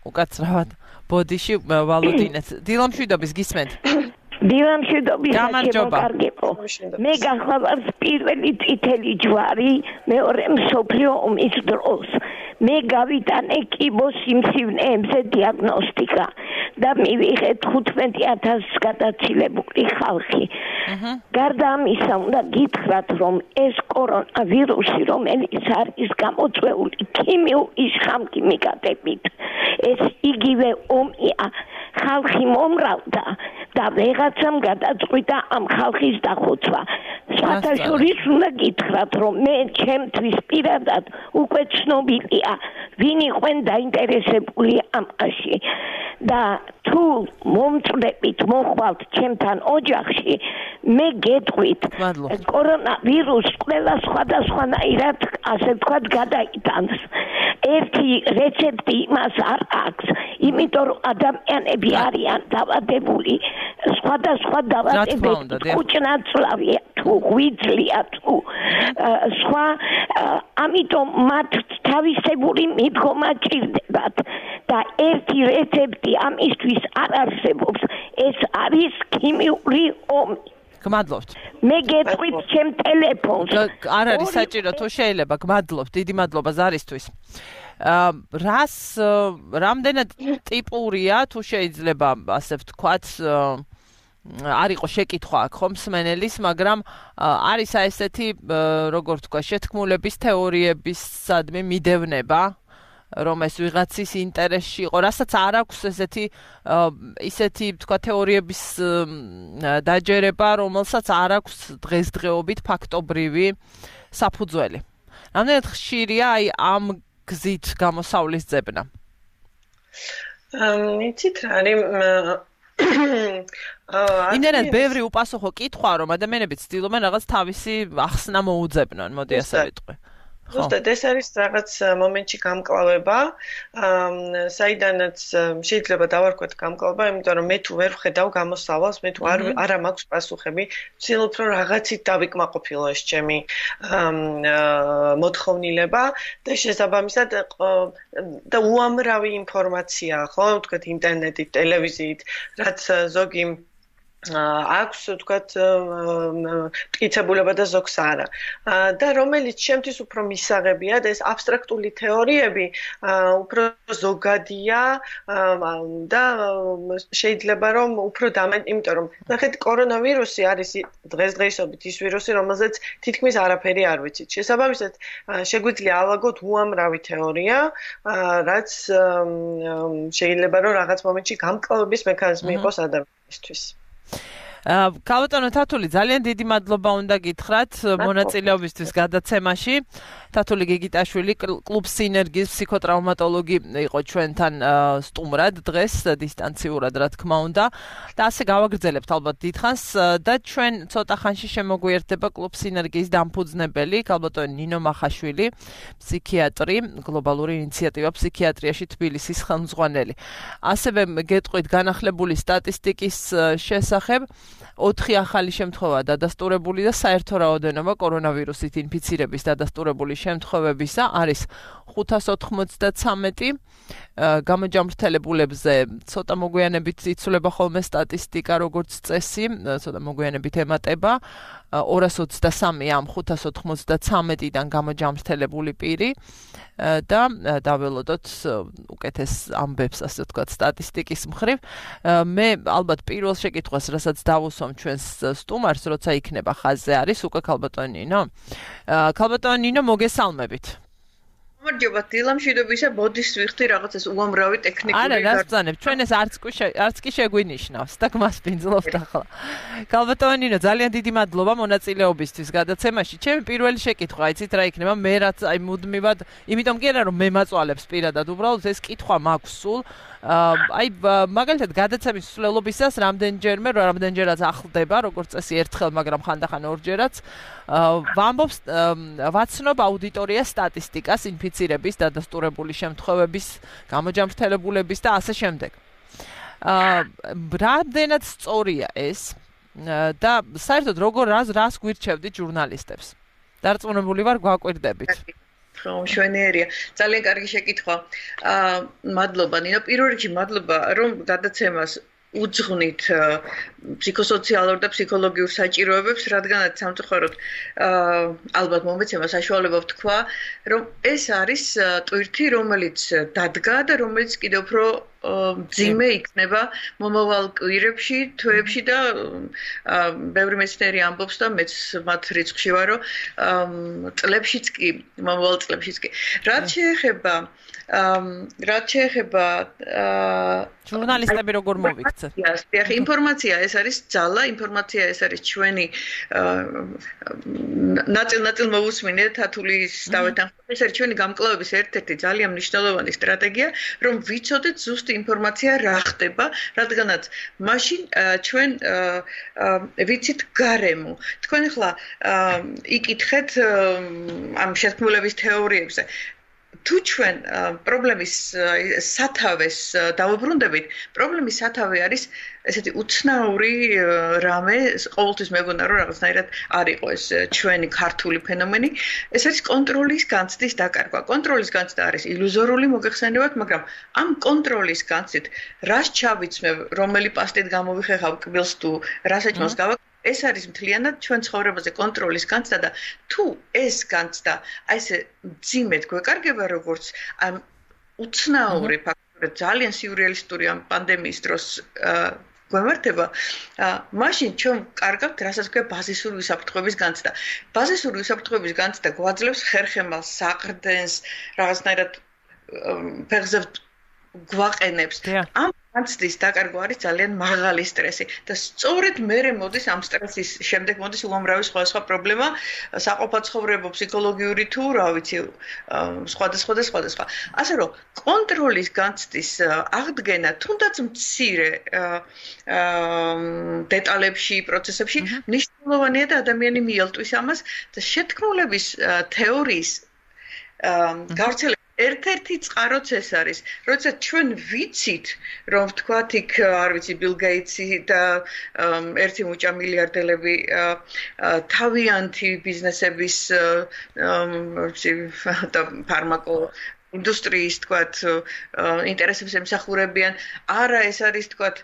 უკაცრავად ბოდიში ვალოდინეც. დილამშვიდობის გისმენთ? დილამშვიდობის შემოკარგებო. მე გახლავართ პირველი წითელი ჯვარი მეორე მსოფლიო ომის დროს. მე გავიტანე კიბოსიმსივნეებზე დიაგნოსტიკა და მივიღე თხუთმეტი ათასს გადაცილებული ხალხი. გარდა ამისა, უნდა გითხრათ, რომ ეს კორონავირუსი, რომელიც არის გამოწვეული ქიმიური შხამქიმიკატებით, ეს იგივე ომია. ხალხი მომრავლდა და ვეღაცამ გადაწყვიტა ამ ხალხის დახოცვა. სხვათაშორის უნდა გითხრათ, რომ მე ჩემთვის პირადად უკვე ცნობილია, ვინ იყვენ დაინტერესებული ამაში. და თუ მომწვდებით მოხვალთ ჩემთან ოჯახში, მე გეტყვით, კორონავირუსს ყველა სხვადასხვანაირად, ასე ვთქვათ, გადაიტანს. ერთი რეცეპტი იმას არ აქვს, იმიტომ რომ ადამიანები არიან დავადებული, სხვადასხვა დავადებებით, კუჭნაწლავია თუ ღვიძლია თუ სხვა, ამიტომ მათ თავისებური მიდგომა ჭირდებათ და ერთი რეცეპტი ამისთვის არ არსებობს, ეს არის ქიმიური ომი. გმადლობთ. მე გეტყვით ჩემ ტელეფონს. არ არის საჭირო, თუ შეიძლება, გმადლობთ, დიდი მადლობა ზარისთვის. რას რამდენად ტიპურია, თუ შეიძლება ასე ვთქვათ, არ იყო შეკითხვა აქ ხომ მსმენელის, მაგრამ არის აი ესეთი, როგორ ვთქვა, შეთქმულების თეორიებისადმი მიდევნება, რომ ეს ვიღაცის ინტერესში იყო, რასაც არ აქვს ესეთი ისეთი თქვა თეორიების დაჯერება, რომელსაც არ აქვს დღესდღეობით ფაქტობრივი საფუძველი. რამდენად ხშირია აი ამ გზით გამოსავლის ძებნა? იცით რა არის ინერად ბევრი უპასუხო კითხვა, რომ ადამიანები ცდილობენ რაღაც თავისი ახსნა მოუძებნონ, მოდი ასე ვიტყვი. ზუსტად ეს არის რაღაც მომენტში გამკლავება, საიდანაც შეიძლება დავარქვათ გამკლავება, იმიტომ რომ მე თუ ვერ ვხედავ გამოსავალს, მე თუ არ არა მაქვს პასუხები, ვცდილობ რომ რაღაცით დავიკმაყოფილო ეს ჩემი მოთხოვნილება და შესაბამისად და უამრავი ინფორმაცია, ხო, ვთქვათ ინტერნეტით, ტელევიზიით, რაც ზოგი აქვს ვთქვათ მტკიცებულება და ზოგს არა. და რომელიც შემთთვის უფრო მისაღებია და ეს აბსტრაქტული თეორიები უფრო ზოგადია და შეიძლება რომ უფრო დამენ, იმიტომ რომ ნახეთ კორონავირუსი არის დღესდღეობით ის ვირუსი, რომელზეც თითქმის არაფერი არ ვიცით. შესაბამისად შეგვიძლია ავაგოთ უამრავი თეორია, რაც შეიძლება რომ რაღაც მომენტში გამკლავების მექანიზმი იყოს ადამიანისთვის. კალბატონო თათული, ძალიან დიდი მადლობა უნდა გითხრათ მონაწილეობისთვის გადაცემაში. თათული გიგიტაშვილი, კლუბ სინერგიის ფსიქოტრაუმატოლოგი იყო ჩვენთან სტუმრად დღეს დისტანციურად, რა თქმა უნდა. და ასე გავაგრძელებთ ალბათ დიდხანს და ჩვენ ცოტა ხანში შემოგვიერთდება კლუბ სინერგიის დამფუძნებელი, კალბატონი ნინო მახაშვილი, ფსიქიატრი, გლობალური ინიციატივა ფსიქიატრიაში თბილისის ხელმძღვანელი. ასევე გეტყვით განახლებული სტატისტიკის შესახებ. ოთხი ახალი შემთხვევა დადასტურებული და საერთო რაოდენობა კორონავირუსით ინფიცირების დადასტურებული შემთხვევებისა არის ხუთას ოთხმოცდათრამეტი. გამოჯამრთელებულებზე ცოტა მოგვიანებით იცვლება ხოლმე სტატისტიკა, როგორც წესი, ცოტა მოგვიანებით ემატება. ორას ოცდასამი ამ ხუთას ოთხმოცდათრამეტიდან გამოჯამრთელებული პირი და დაველოდოთ უკეთეს ამბებს, ასე ვთქვათ, სტატისტიკის მხრივ. მე ალბათ პირველ შეკითხვას, რასაც დავუსვამ ჩვენს სტუმარს, როცა იქნება ხაზზე არის უკვე კალბატონი ნინო. კალბატონი ნინო, მოგესალმებით. გამარჯობა, დილამშვიდობისა, ბოდის ვიხდი რაღაცას უამრავი ტექნიკური. არა, რას ბრძანებ, ჩვენ ეს არც არც კი შეგვინიშნავს და გმასპინძლობთ ახლა. კალბატონი ნინო, ძალიან დიდი მადლობა მონაწილეობისთვის გადაცემაში. ჩემი პირველი შეკითხვა, იცით რა იქნება, მე რაც აი მუდმივად, იმიტომ კი არა რომ მე მაწვალებს პირადად, უბრალოდ ეს კითხვა მაქვს სულ. აი მაგალითად გადაცემის მსვლელობისას რამდენჯერმე რამდენჯერაც ახლდება, როგორც წესი ერთხელ, მაგრამ ხანდახან ორჯერაც ვამბობს ვაცნობ აუდიტორიას სტატისტიკას ინფიცირების, დადასტურებული შემთხვევების, გამოჯამრთელებულების და ასე შემდეგ. რამდენად სწორია ეს და საერთოდ როგორ რას რას გვირჩევდით ჟურნალისტებს? დარწმუნებული ვარ, გვაკვირდებით. ხომ შვენიერია. ძალიან კარგი შეკითხვა. აა მადლობა ნინო. პირველ რიგში მადლობა რომ გადაცემას უძღვნით ფსიქოსოციალურ და ფსიქოლოგიურ საჭიროებებს, რადგანაც სამწუხაროდ ალბათ მომეცემა საშუალება ვთქვა, რომ ეს არის ტვირთი, რომელიც დადგა და რომელიც კიდევ უფრო ძიმე იქნება მომავალ კვირებში, თვეებში და ბევრი მეცნიერი ამბობს და მეც მათ რიცხვში ვარ, რომ წლებშიც კი, მომავალ წლებშიც კი. რაც შეეხება რაც შეეხება ჟურნალისტები როგორ მოვიქცეთ? დიახ, ინფორმაცია ეს არის ძალა, ინფორმაცია ეს არის ჩვენი ნაწილ-ნაწილ მოვუსმინე თათულის დავეთან. ეს არის ჩვენი გამკლავების ერთ-ერთი ძალიან მნიშვნელოვანი სტრატეგია, რომ ვიცოდეთ ზუსტი ინფორმაცია რა ხდება, რადგანაც მაშინ ჩვენ ვიცით გარემო. თქვენ ახლა იკითხეთ ამ შეთქმულების თეორიებზე. თუ ჩვენ პრობლემის სათავეს დავუბრუნდებით, პრობლემის სათავე არის ესეთი უცნაური რამე, ყოველთვის მეგონა რომ რაღაცნაირად არ იყო ეს ჩვენი ქართული ფენომენი, ეს არის კონტროლის განცდის დაკარგვა. კონტროლის განცდა არის ილუზორული, მოგეხსენებათ, მაგრამ ამ კონტროლის განცდით რას ჩავიცმევ, რომელი პასტით გამოვიხეხავ კბილს თუ რა საჭმელს გავაკეთებ, ეს არის მთლიანად ჩვენ ცხოვრებაზე კონტროლის განცდა და თუ ეს განცდა აი ესე ძიმედ გვეკარგება როგორც ამ უცნაური ფაქტორი ძალიან სიურეალისტური ამ პანდემიის დროს გვემართება, მაშინ ჩვენ კარგავთ რასაც ქვია ბაზისური უსაფრთხოების განცდა. ბაზისური უსაფრთხოების განცდა გვაძლევს ხერხემალს, საყრდენს, რაღაცნაირად ფეხზე გვაყენებს. ამ განცდის დაკარგვა არის ძალიან მაღალი სტრესი და სწორედ მერე მოდის ამ სტრესის შემდეგ მოდის უამრავი სხვადასხვა პრობლემა, საყოფაცხოვრებო, ფსიქოლოგიური თუ რა ვიცი, სხვადასხვა და სხვადასხვა. ასე რომ კონტროლის განცდის აღდგენა თუნდაც მცირე დეტალებში, პროცესებში მნიშვნელოვანია და ადამიანი მიელტვის ამას და შეთქმულების თეორიის გავრცელებული ერთ-ერთი წყაროც ეს არის, როცა ჩვენ ვიცით, რომ თქვათ იქ არ ვიცი ბილ გეიტსი და ერთი მუჭა მილიარდელები თავიანთი ბიზნესების და ფარმაკო ინდუსტრიის თქვათ ინტერესებს ემსახურებიან, არა ეს არის თქვათ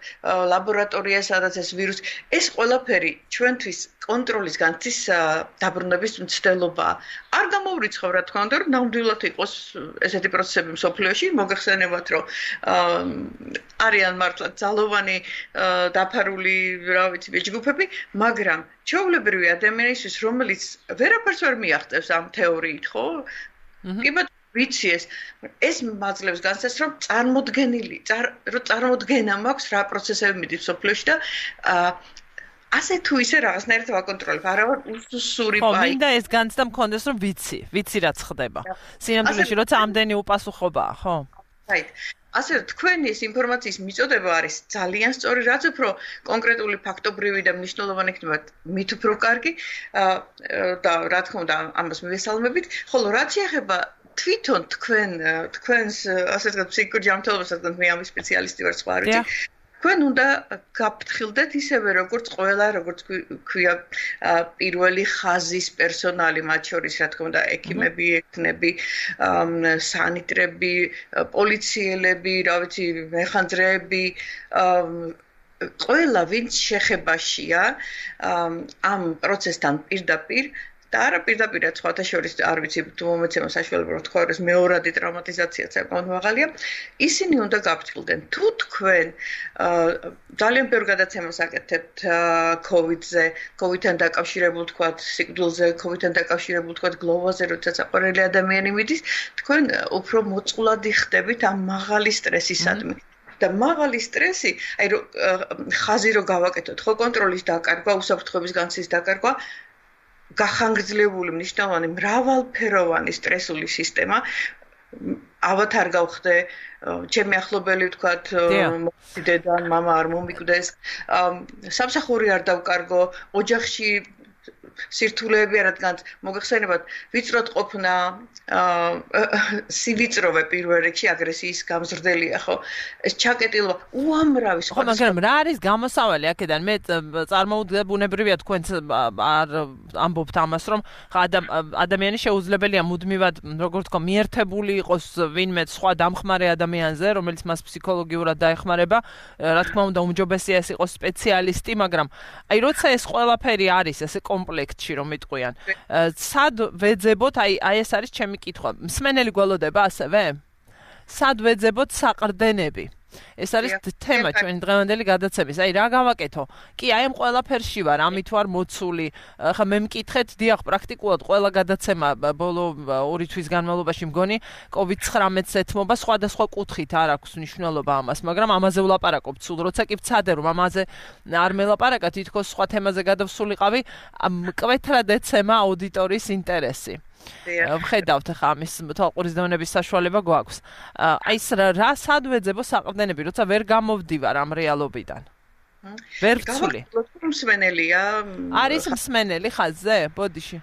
ლაბორატორია, სადაც ეს ვირუსი, ეს ყველაფერი ჩვენთვის კონტროლის განცდის დაბრუნების მცდელობაა. არ გამოვრიცხავ რა თქმა უნდა, რომ ნამდვილად იყოს ესეთი პროცესები მსოფლიოში, მოგეხსენებათ, რომ არიან მართლა ძალოვანი დაფარული, რა ვიცი, ჯგუფები, მაგრამ ჩვეულებრივი ადამიანისთვის, რომელიც ვერაფერს ვერ მიაღწევს ამ თეორიით, ხო? კი ბატონო ვიცი ეს ეს მაძლევს განცდას რომ წარმოდგენილი რომ წარმოდგენა მაქვს რა პროცესები მიდის სოფლიოში და ასე თუ ისე რაღაცნაირად ვაკონტროლებ არა ვარ უსუსური პაი ხო მინდა ეს განცდა მქონდეს რომ ვიცი ვიცი რაც ხდება სინამდვილეში როცა ამდენი უპასუხობაა ხო right ასე თქვენი ეს ინფორმაციის მიწოდება არის ძალიან სწორი რაც უფრო კონკრეტული ფაქტობრივი და მნიშვნელოვანი იქნება მით უფრო კარგი და რა თქმა უნდა ამას მივესალმებით ხოლო რაც შეეხება თვითონ თქვენ თქვენს ასე ვთქვათ ფსიქიკურ ჯანმრთელობას რადგან მე ამის სპეციალისტი ვარ სხვა არ ვიცი თქვენ უნდა გაფრთხილდეთ ისევე როგორც ყველა როგორც ქვია პირველი ხაზის პერსონალი მათ შორის რა თქმა უნდა ექიმები ექნები სანიტრები პოლიციელები რა ვიცი მეხანძრეები ყველა ვინც შეხებაშია ამ პროცესთან პირდაპირ და არა პირდაპირ სხვათა შორის არ ვიცი თუ მომეცემა საშუალება რომ თქვა რომ მეორადი ტრაუმატიზაციაც საკმაოდ მაღალია ისინი უნდა გაფრთხილდნენ თუ თქვენ ძალიან ბევრ გადაცემას აკეთებთ COVID-ზე COVID-თან დაკავშირებულ თქვა სიკვდილზე COVID-თან დაკავშირებულ თქვა გლოვაზე როცა საყვარელი ადამიანი მიდის თქვენ უფრო მოწყვლადი ხდებით ამ მაღალი სტრესისადმი და მაღალი სტრესი აი რომ ხაზი რო გავაკეთოთ ხო კონტროლის დაკარგვა უსაფრთხოების განცდის დაკარგვა გახანგრძლივებული მნიშვნელოვანი მრავალფეროვანი სტრესული სისტემა ალბათ არ გავხდე ჩემი ახლობელი ვთქვათ დედა მამა არ მომიკვდეს სამსახური არ დავკარგო ოჯახში სირთულეები რადგან მოგეხსენებათ ვიწროდ ყოფნა სივიწროვე პირველ რიგში აგრესიის გამზრდელია ხო ეს ჩაკეტილობა უამრავი ხო მაგრამ რა არის გამოსავალი აქედან მე წარმოვიდგინე ბუნებრივია თქვენც არ ამბობთ ამას რომ ადამიანი შეუძლებელია მუდმივად როგორ თქვა მიერთებული იყოს ვინმე სხვა დამხმარე ადამიანზე რომელიც მას ფსიქოლოგიურად დაეხმარება რა თქმა უნდა უმჯობესია ეს იყოს სპეციალისტი მაგრამ აი როცა ეს ყველაფერი არის ესე კომპლექტში რომ იტყვიან სად ვეძებოთ აი აი ეს არის ჩემი კითხვა მსმენელი გველოდება ასევე სად ვეძებოთ საყრდენები ეს არის თემა ჩვენი დღევანდელი გადაცემის აი რა გავაკეთო კი აი ამ ყველაფერში ვარ ამით ვარ მოცული ხა მე მკითხეთ დიახ პრაქტიკულად ყველა გადაცემა ბოლო ორი თვის განმავლობაში მგონი COVID nineteen-ს ეთმობა სხვადასხვა კუთხით არ აქვს მნიშვნელობა ამას მაგრამ ამაზე ვლაპარაკობ სულ როცა კი ვცადე რომ ამაზე არ მელაპარაკა თითქოს სხვა თემაზე გადავსულიყავი მკვეთრად ეცემა აუდიტორიის ინტერესი ვხედავთ ხა ამის თვალყურის დონების საშუალება გვაქვს. აი ეს რა სად ვეძებო საყრდენები, როცა ვერ გამოვდივარ ამ რეალობიდან. ვერ ვცვლი. მსმენელია. არის მსმენელი ხაზზე? ბოდიში.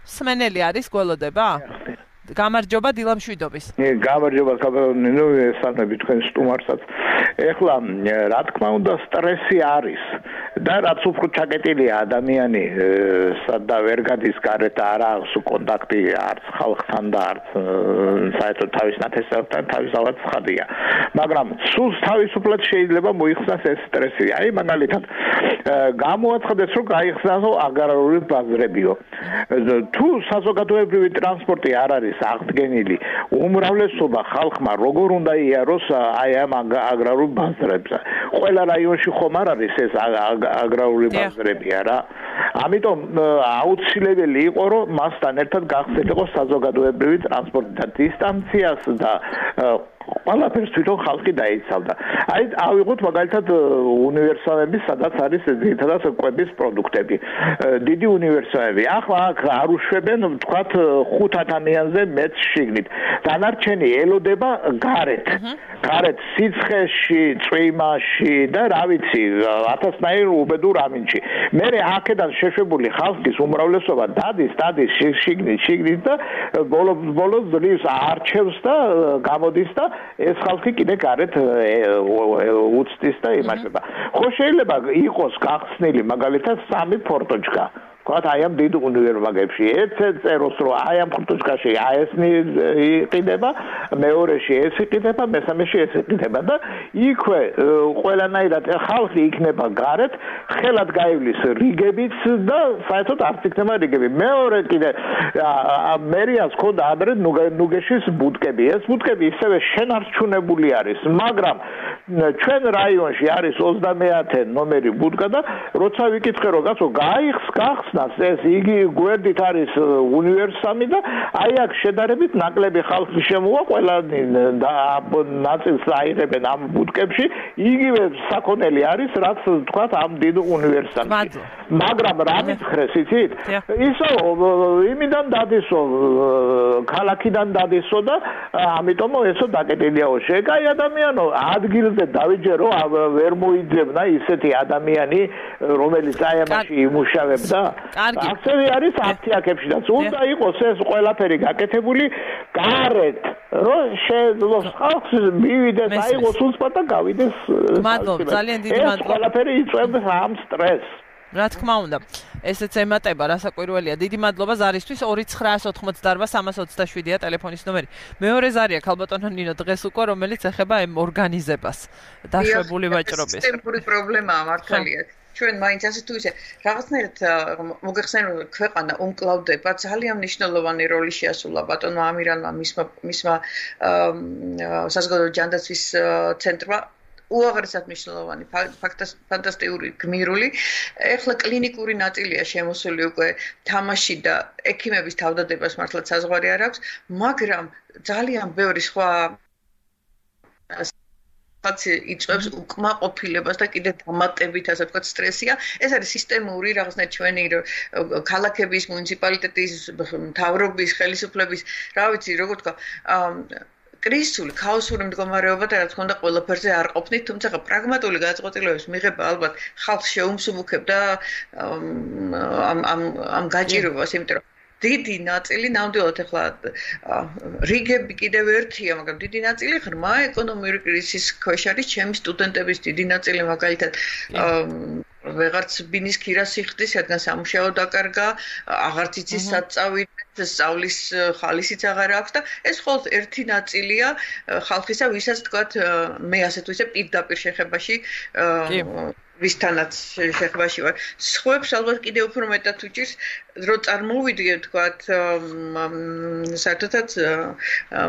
მსმენელი არის გველოდება? გამარჯობა დილამშვიდობის. გამარჯობა კაბანო ესალმები თქვენ სტუმარსაც. ეხლა რა თქმა უნდა სტრესი არის და რაც უფრო ჩაკეტილია ადამიანი სადა ვერ გადის გარეთ არა აქვს კონტაქტი არც ხალხთან და არც საერთოდ თავის ნათესავთან თავისავად ცხადია მაგრამ სულ თავისუფლად შეიძლება მოიხსნას ეს სტრესი აი მაგალითად გამოაცხადეს რომ გაიხსნასო აგრარული ბაზრებიო თუ საზოგადოებრივი ტრანსპორტი არ არის აღდგენილი უმრავლესობა ხალხმა როგორ უნდა იაროს აი ამ აგრარულ ბაზრებზე ყველა რაიონში ხომ არ არის ეს აგრარული ბაზრები არა ამიტომ აუცილებელი იყო რომ მასთან ერთად გახსნილიყო საზოგადოებრივი ტრანსპორტი და დისტანციას და ყველაფერს თვითონ ხალხი დაიცავდა. აი ავიღოთ მაგალითად უნივერსალები, სადაც არის ძირითადად კვების პროდუქტები. დიდი უნივერსალები. ახლა აქ არ უშვებენ ვთქვათ ხუთ ადამიანზე მეც შიგნით. დანარჩენი ელოდება გარეთ. გარეთ სიცხეში, წვიმაში და რა ვიცი, ათასნაირ უბედურ ამინჩი. მე აქედან შეშვებული ხალხის უმრავლესობა დადის, დადის შიგნით, შიგნით და ბოლოს ბოლოს ძლივს არჩევს და გამოდის და ეს ხალხი კიდე გარეთ უცდის და იმართება. ხო შეიძლება იყოს გახსნილი მაგალითად სამი ფორტოჩკა. ვთქვათ, აი ამ დიდ უნივერსიტეტებში ერთ წეროს რომ აი ამ ფორტოჩკაში აი ეს იყიდება, მეორეში ეს იყიდება, მესამეში ეს იყიდება და იქვე ყველანაირად ხალხი იქნება გარეთ, ხელად გაივლის რიგებიც და საერთოდ არც იქნება რიგები. მეორე კიდე მერიას ხონდა ადრე ნუგეშის ბუდკები. ეს ბუდკები ისევე შენარჩუნებული არის, მაგრამ ჩვენ რაიონში არის ოცდამეათე ნომერი ბუდკა და როცა ვიკითხე რომ კაცო გაიხს გახსნას ეს იგი გვერდით არის უნივერსამი და აი აქ შედარებით ნაკლები ხალხი შემოვა ყველა ნაწილს აიღებენ ამ ბუდკებში იგივე საქონელი არის რაც თქვათ ამ დიდ უნივერსამში მაგრამ რა მითხრეს იცით ისო იმიდან დადისო ქალაქიდან დადისო და ამიტომ ესო დაკეტილიაო შეკაი ადამიანო ადგილზე დავიჯერო ვერ მოიძებნა ისეთი ადამიანი რომელიც აი ამაში იმუშავებდა ასევე არის აფთიაქებშიც უნდა იყოს ეს ყველაფერი გაკეთებული გარეთ რომ შეძლოს ხალხს მივიდეს აიღოს უცბად და გავიდეს მადლობა ძალიან დიდი მადლობა ეს ყველაფერი იწვევს ამ სტრესს რა თქმა უნდა ესეც ემატება რასაკვირველია დიდი მადლობა ზარისთვის ორი ცხრაას ოთხმოცდაარბა სამას ოცდაშვიდია ტელეფონის ნომერი მეორე ზარია ქალბატონო ნინო დღეს უკვე რომელიც ეხება ამ ორგანიზებას დაშვებული ვაჭრობის სისტემური პრობლემაა მართალია ჩვენ მაინც ასე თუ ისე რაღაცნაირად მოგეხსენებათ ქვეყანა უმკლავდება ძალიან მნიშვნელოვანი როლი შეასრულა ბატონმა ამირანმა მისმა მისმა საზოგადო ჯანდაცვის ცენტრმა უაღრესად მნიშვნელოვანი ფანტასტიკური გმირული ეხლა კლინიკური ნაწილია შემოსული უკვე თამაში და ექიმების თავდადებას მართლაც საზღვარი არ აქვს მაგრამ ძალიან ბევრი სხვა იწვევს უკმაყოფილებას და კიდე დამატებით ასე ვთქვათ სტრესია ეს არის სისტემური რაღაცნაირად ჩვენი ქალაქების მუნიციპალიტეტის მთავრობის ხელისუფლების რა ვიცი როგორ თქვა კრიზისული ქაოსური მდგომარეობა და რა თქმა უნდა ყველაფერზე არ ყოფნით თუმცა პრაგმატული გადაწყვეტილებების მიღება ალბათ ხალხს შეუმსუბუქებდა ამ ამ ამ გაჭირვებას იმიტომ რომ დიდი ნაწილი ნამდვილად ახლა რიგები კიდევ ერთია მაგრამ დიდი ნაწილი ღრმა ეკონომიური კრიზისის ქვეშ არის ჩემი სტუდენტების დიდი ნაწილი მაგალითად ვეღარც ბინის ქირას იხდის რადგან სამუშაო დაკარგა აღარც იცის სად წავიდეს სწავლის ხალისიც აღარ აქვს და ეს მხოლოდ ერთი ნაწილია ხალხისა ვისაც თქვათ მე ასე თუ ისე პირდაპირ შეხებაში ვისთანაც შეხებაში ვარ სხვებს ალბათ კიდევ უფრო მეტად უჭირს რომ წარმოვიდგე თქვათ საერთოდაც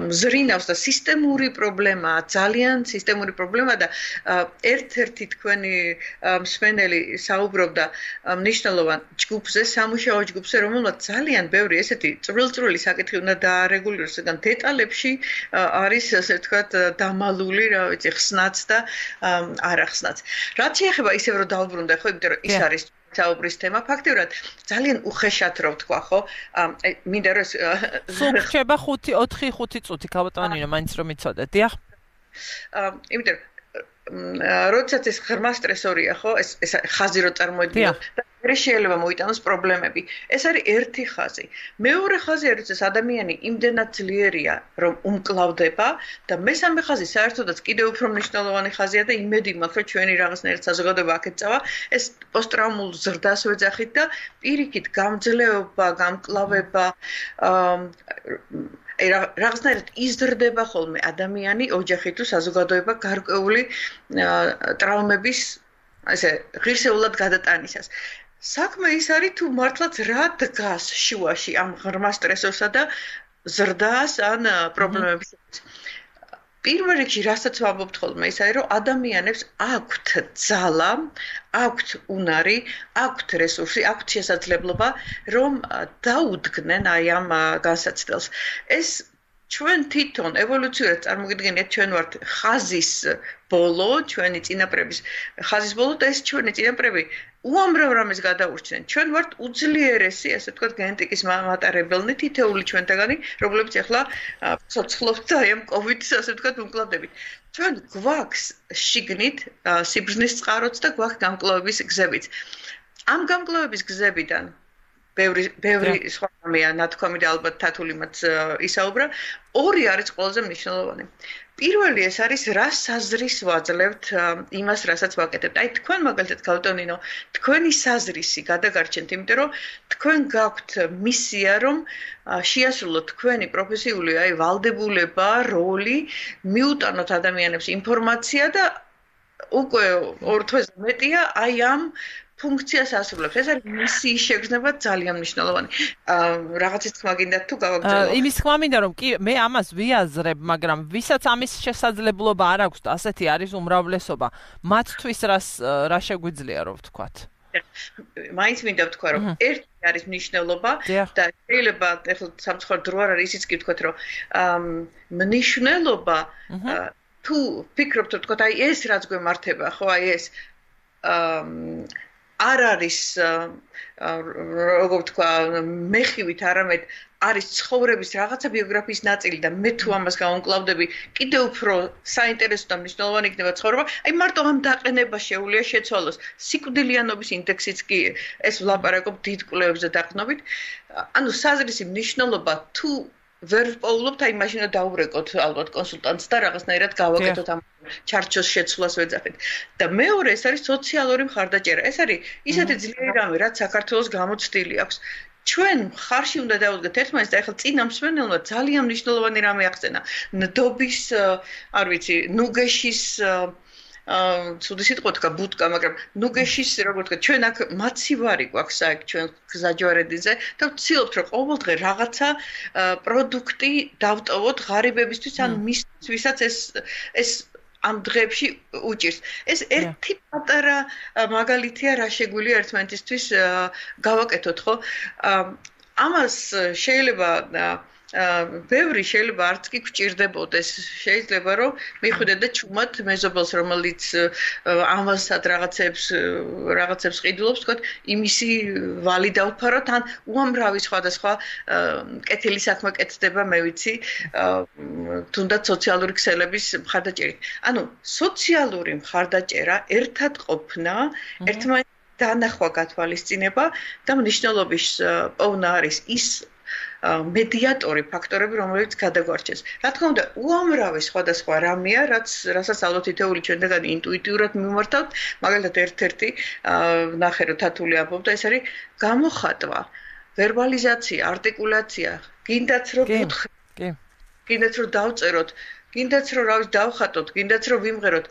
მზრინავს და სისტემური პრობლემაა ძალიან სისტემური პრობლემა და ერთ-ერთი თქვენი მსმენელი საუბრობდა მნიშვნელოვან ჯგუფზე სამუშაო ჯგუფზე რომელმაც ძალიან ბევრი ესეთი წვრილ-წვრილი საკითხი უნდა დაარეგულიროს რადგან დეტალებში არის ასე ვთქვათ დამალული რა ვიცი ხსნაც და არახსნაც რაც შეეხება ისევ რომ დავბრუნდა ხო იმიტომ რომ ის არის საუბრის თემა ფაქტიურად ძალიან უხეშად რო ვთქვა ხო აი მინდა რომ სულ ხდება ხუთი ოთხი ხუთი წუთი ქალბატონინო მაინც რომ იცოდეთ დიახ იმიტომ როდესაც ეს ღრმა სტრესორია ხო ეს ეს ხაზი რო წარმოედგინო და მე შეიძლება მოიტანოს პრობლემები ეს არის ერთი ხაზი მეორე ხაზი არის ეს ადამიანი იმდენად ძლიერია რომ უმკლავდება და მესამე ხაზი საერთოდაც კიდევ უფრო მნიშვნელოვანი ხაზია და იმედი მაქვს რომ ჩვენი რაღაცნაირად საზოგადოება აქეთ წავა ეს პოსტტრაუმულ ზრდას ვეძახით და პირიქით გამძლეობა გამკლავება აი რაღაცნაირად იზრდება ხოლმე ადამიანი ოჯახი თუ საზოგადოება გარკვეული ტრავმების ასე ღირსეულად გადატანისას საქმე ის არის თუ მართლაც რა დგას შუაში ამ ღრმა სტრესოსა და ზრდას ან პრობლემების პირველ რიგში რასაც ვამბობთ ხოლმე ის არის რომ ადამიანებს აქვთ ძალა აქვთ უნარი აქვთ რესურსი აქვთ შესაძლებლობა რომ დაუდგნენ აი ამ განსაცდელს ეს ჩვენ თვითონ ევოლუციურად წარმოგიდგენთ ჩვენ ვართ ხაზის ბოლო ჩვენი წინაპრების ხაზის ბოლო და ეს ჩვენი წინაპრები უამრავ რამეს გადაურჩნენ ჩვენ ვართ უძლიერესი ასე ვთქვათ გენეტიკის მატარებელნი თითეული ჩვენთაგანი რომლებიც ახლა ცოცხლობთ აი ამ კოვიდის ასე ვთქვათ უმკლავდებით ჩვენ გვაქვს შიგნით სიბრძნის წყაროც და გვაქვს გამკლავების გზებიც ამ გამკლავების გზებიდან ბევრი ბევრი სხვა რამეა ნათქვამი და ალბათ თათულიმაც ისაუბრა ორი არის ყველაზე მნიშვნელოვანი პირველი ეს არის რა საზრის ვაძლევთ იმას რასაც ვაკეთებთ აი თქვენ მაგალითად გავტონინო თქვენი საზრისი გადაგარჩენთ იმიტომ რომ თქვენ გაქვთ მისია რომ შეასრულოთ თქვენი პროფესიული აი ვალდებულება როლი მიუტანოთ ადამიანებს ინფორმაცია და უკვე ორ თვეზე მეტია აი ამ ფუნქციას ასრულებს. ეს არის მისიის შეგრძნება ძალიან მნიშვნელოვანი. რაღაცის თქმა გინდათ თუ გავაგრძელო? იმის თქმა მინდა რომ კი მე ამას ვიაზრებ, მაგრამ ვისაც ამის შესაძლებლობა არ აქვს და ასეთი არის უმრავლესობა, მათთვის რას რა შეგვიძლია რომ ვთქვათ? მაინც მინდა ვთქვა რომ ერთი არის მნიშვნელობა და შეიძლება ახლა სამწუხაროდ დრო არ არის ისიც კი ვთქვათ რომ მნიშვნელობა თუ ფიქრობთ რომ ვთქვათ აი ეს რაც გვემართება ხო აი ეს არ არის როგორ ვთქვა მეხივით არამედ არის ცხოვრების რაღაცა ბიოგრაფიის ნაწილი და მე თუ ამას გავუმკლავდები კიდევ უფრო საინტერესო და მნიშვნელოვანი იქნება ცხოვრება აი მარტო ამ დაყენება შეუძლია შეცვალოს სიკვდილიანობის ინდექსიც კი ეს ვლაპარაკობ დიდ კვლევებზე დაყრდნობით ანუ საზრისი მნიშვნელობა თუ ვერ პოულობთ აი მაშინ დაურეკოთ ალბათ კონსულტანტს და რაღაცნაირად გავაკეთოთ ამ ჩარჩოს შეცვლას ვეძახით და მეორე ეს არის სოციალური მხარდაჭერა ეს არის ისეთი ძლიერი რამე რაც საქართველოს გამოცდილი აქვს ჩვენ ხარში უნდა დავუდგეთ ერთმანეთს და ახლა წინა მსმენელმა ძალიან მნიშვნელოვანი რამე ახსენა ნდობის არ ვიცი ნუგეშის ცუდი სიტყვა თქვა ბუტკა, მაგრამ ნუგეშის როგორ თქვა, ჩვენ აქ მაცივარი გვაქვს აქ ჩვენ გზაჯვარედინზე და ვცდილობთ რომ ყოველდღე რაღაცა პროდუქტი დავტოვოთ ღარიბებისთვის ან მისთვის, ვისაც ეს ეს ამ დღეებში უჭირს. ეს ერთი პატარა მაგალითია რა შეგვიძლია ერთმანეთისთვის გავაკეთოთ, ხო? ამას შეიძლება ბევრი შეიძლება არც კი გვჭირდებოდეს შეიძლება რომ მიხვიდეთ და ჩუმად მეზობელს რომელიც ამასაც რაღაცებს რაღაცებს ყიდულობს თქვა იმისი ვალი დავფაროთ ან უამრავი სხვადასხვა კეთილი საქმე კეთდება მე ვიცი თუნდაც სოციალური ქსელების მხარდაჭერით ანუ სოციალური მხარდაჭერა ერთად ყოფნა ერთმანეთს დანახვა გათვალისწინება და მნიშვნელობის პოვნა არის ის მედიატორი ფაქტორები რომელიც გადაგვარჩენს. რა თქმა უნდა, უამრავი სხვადასხვა რამეა, რაც რასაც ალბათ ითეული ჩვენგან ინტუიტიურად მიმართავთ, მაგალითად ერთ-ერთი ნახე რომ თათული ამბობდა, ეს არის გამოხატვა, ვერბალიზაცია, არტიკულაცია, გინდაც რომ გითხრათ, კი. გინდაც რომ დავწეროთ, გინდაც რომ რა ვიცი დავხატოთ, გინდაც რომ ვიმღეროთ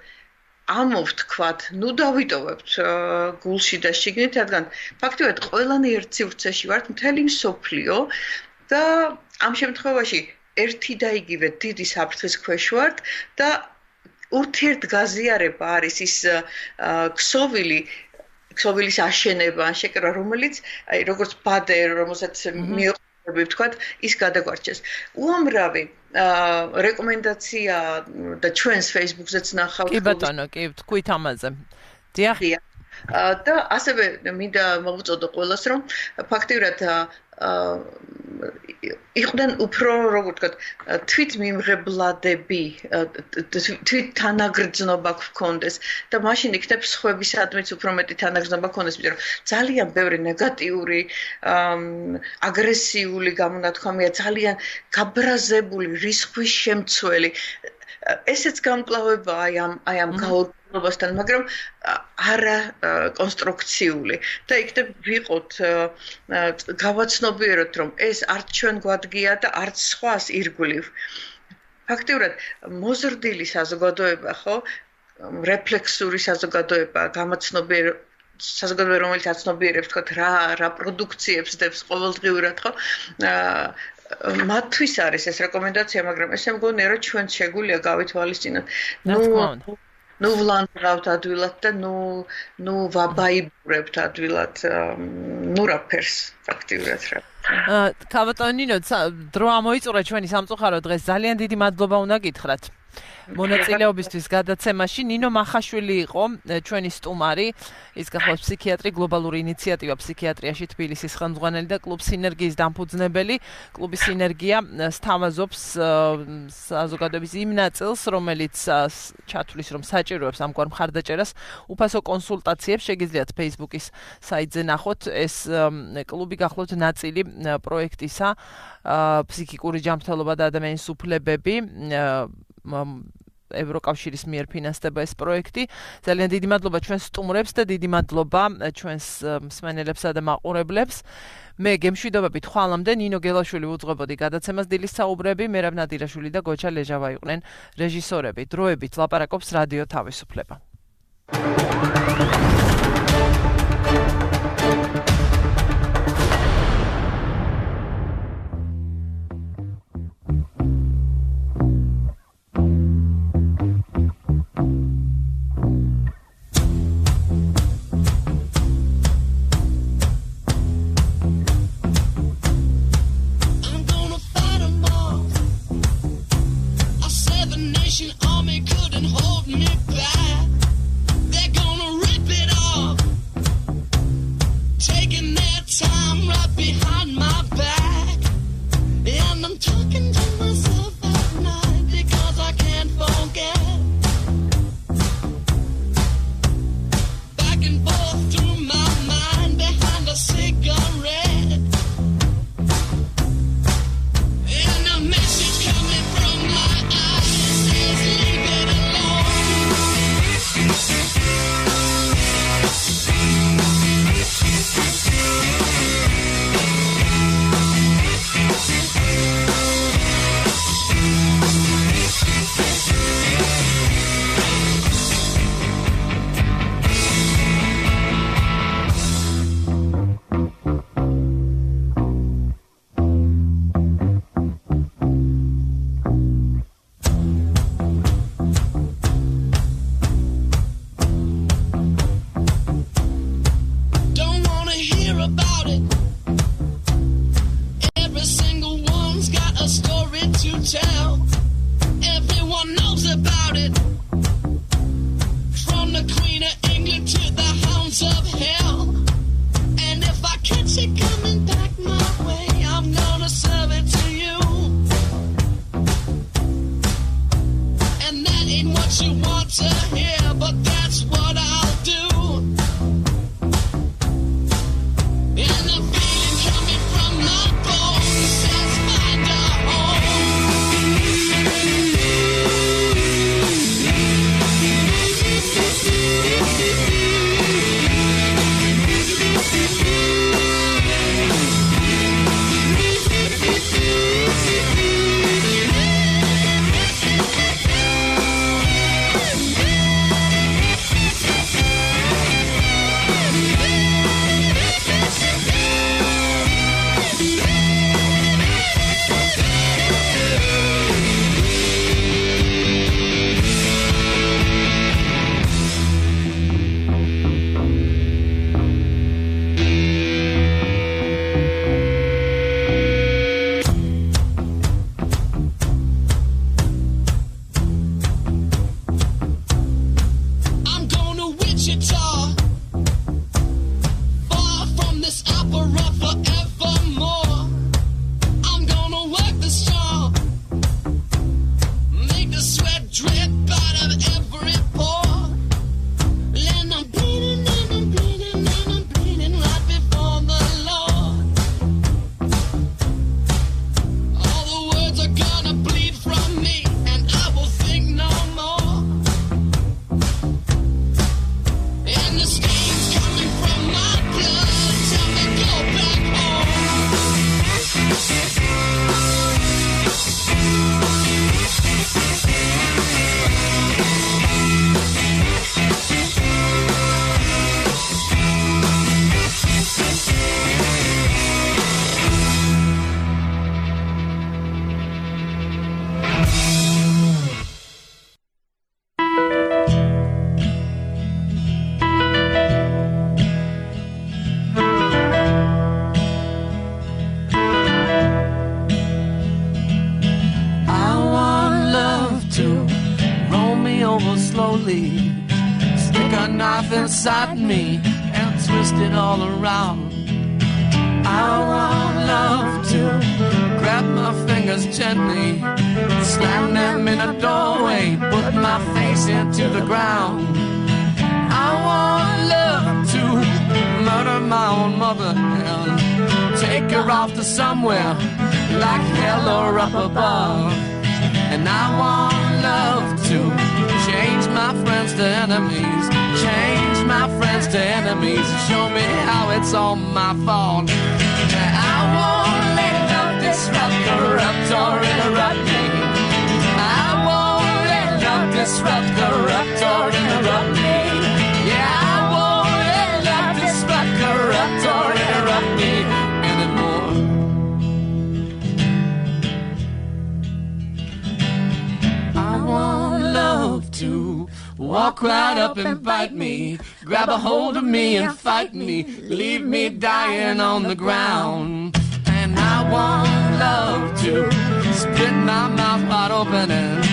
ამოვთქვათ, ნუ დავიტოვებთ გულში და შიგნით, რადგან ფაქტობრივად ყველანი ერთ სივრცეში ვართ, მთელი მსოფლიო და ამ შემთხვევაში ერთი და იგივე დიდი საფრთხის ქვეშ ვართ და ურთიერთგაზიარება არის ის ქსოვილი ქსოვილის აშენება ან შეკრება, რომელიც აი როგორც ბადე, რომელსაც მიოყვებით, ვთქვათ, ის გადაგვარჩენს. უამრავი რეკომენდაცია და ჩვენს Facebook-ზეც ნახავთ. კი ბატონო, კი, თქვით ამაზე. დიახ. და ასევე მინდა მოვუწოდო ყველას, რომ ფაქტიურად იყვნენ უფრო, როგორ ვთქვათ, თვით მიმღებლადები, თვით თანაგრძნობა გქონდეს და მაშინ იქნებ სხვებისადმიც უფრო მეტი თანაგრძნობა გქონდეს, იმიტომ რომ ძალიან ბევრი ნეგატიური, აგრესიული გამონათქვამია, ძალიან გაბრაზებული, რისხვის შემცველი. ესეც გამკლავება აი ამ აი ამ გაურკვევლობასთან, მაგრამ არა კონსტრუქციული და იქნებ ვიყოთ გავაცნობიეროთ რომ ეს არც ჩვენ გვადგია და არც სხვას ირგვლივ. ფაქტიურად მოზრდილი საზოგადოება ხო რეფლექსური საზოგადოება გამაცნობიერ საზოგადოება რომელიც აცნობიერებს თქვა რა რა პროდუქციებს დებს ყოველდღიურად ხო მათთვის არის ეს რეკომენდაცია, მაგრამ ესე მგონია რომ ჩვენ შეგვიძლია გავითვალისწინოთ. ნუ ნუ ვლანდრავთ ადვილად და ნუ ნუ ვაბაიბურებთ ადვილად ნუ რაფერს ფაქტიურად რა. კავატონინო დრო ამოიწურა ჩვენი სამწუხარო დღეს ძალიან დიდი მადლობა უნდა გითხრათ. მონაწილეობისთვის გადაცემაში. ნინო მახაშვილი იყო ჩვენი სტუმარი, ის გახლავთ ფსიქიატრი, გლობალური ინიციატივა ფსიქიატრიაში თბილისის ხელმძღვანელი და კლუბ სინერგიის დამფუძნებელი. კლუბი სინერგია სთავაზობს საზოგადოების იმ ნაწილს, რომელიც ჩათვლის, რომ საჭიროებს ამგვარ მხარდაჭერას, უფასო კონსულტაციებს შეგიძლიათ Facebook-ის საიტზე ნახოთ. ეს კლუბი გახლავთ ნაწილი პროექტისა ფსიქიკური ჯანმრთელობა და ადამიანის უფლებები ევროკავშირის მიერ ფინანსდება ეს პროექტი. ძალიან დიდი მადლობა ჩვენს სტუმრებს და დიდი მადლობა ჩვენს მსმენელებსა და მაყურებლებს. მე გემშვიდობებით ხვალამდე ნინო გელაშვილი უძღვებოდი გადაცემას დილის საუბრები, მერაბ ნადირაშვილი და გოჩა ლეჟავა იყვნენ რეჟისორები. დროებით ლაპარაკობს რადიო თავისუფლება. Army couldn't hold me back. They're gonna rip inside me and twist it all around. I want love to grab my fingers gently, slam them in a doorway, put my face into the ground. I want love to murder my own mother and take her off to somewhere like hell or up above. And I want love to change my friends to enemies, change my friends to enemies, show me how it's all my fault. I won't let love disrupt, corrupt or interrupt me. I won't let love disrupt, corrupt or interrupt me. Yeah, I won't let love disrupt, corrupt or interrupt me anymore. I want love to walk right up and bite me, grab a hold of me and fight me, leave me dying on the ground. And I want love to split my mouth wide open and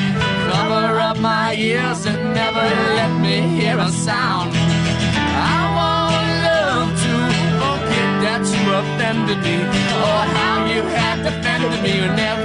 cover up my ears and never let me hear a sound. I want love to forget that you offended me, or how you had defended me, and never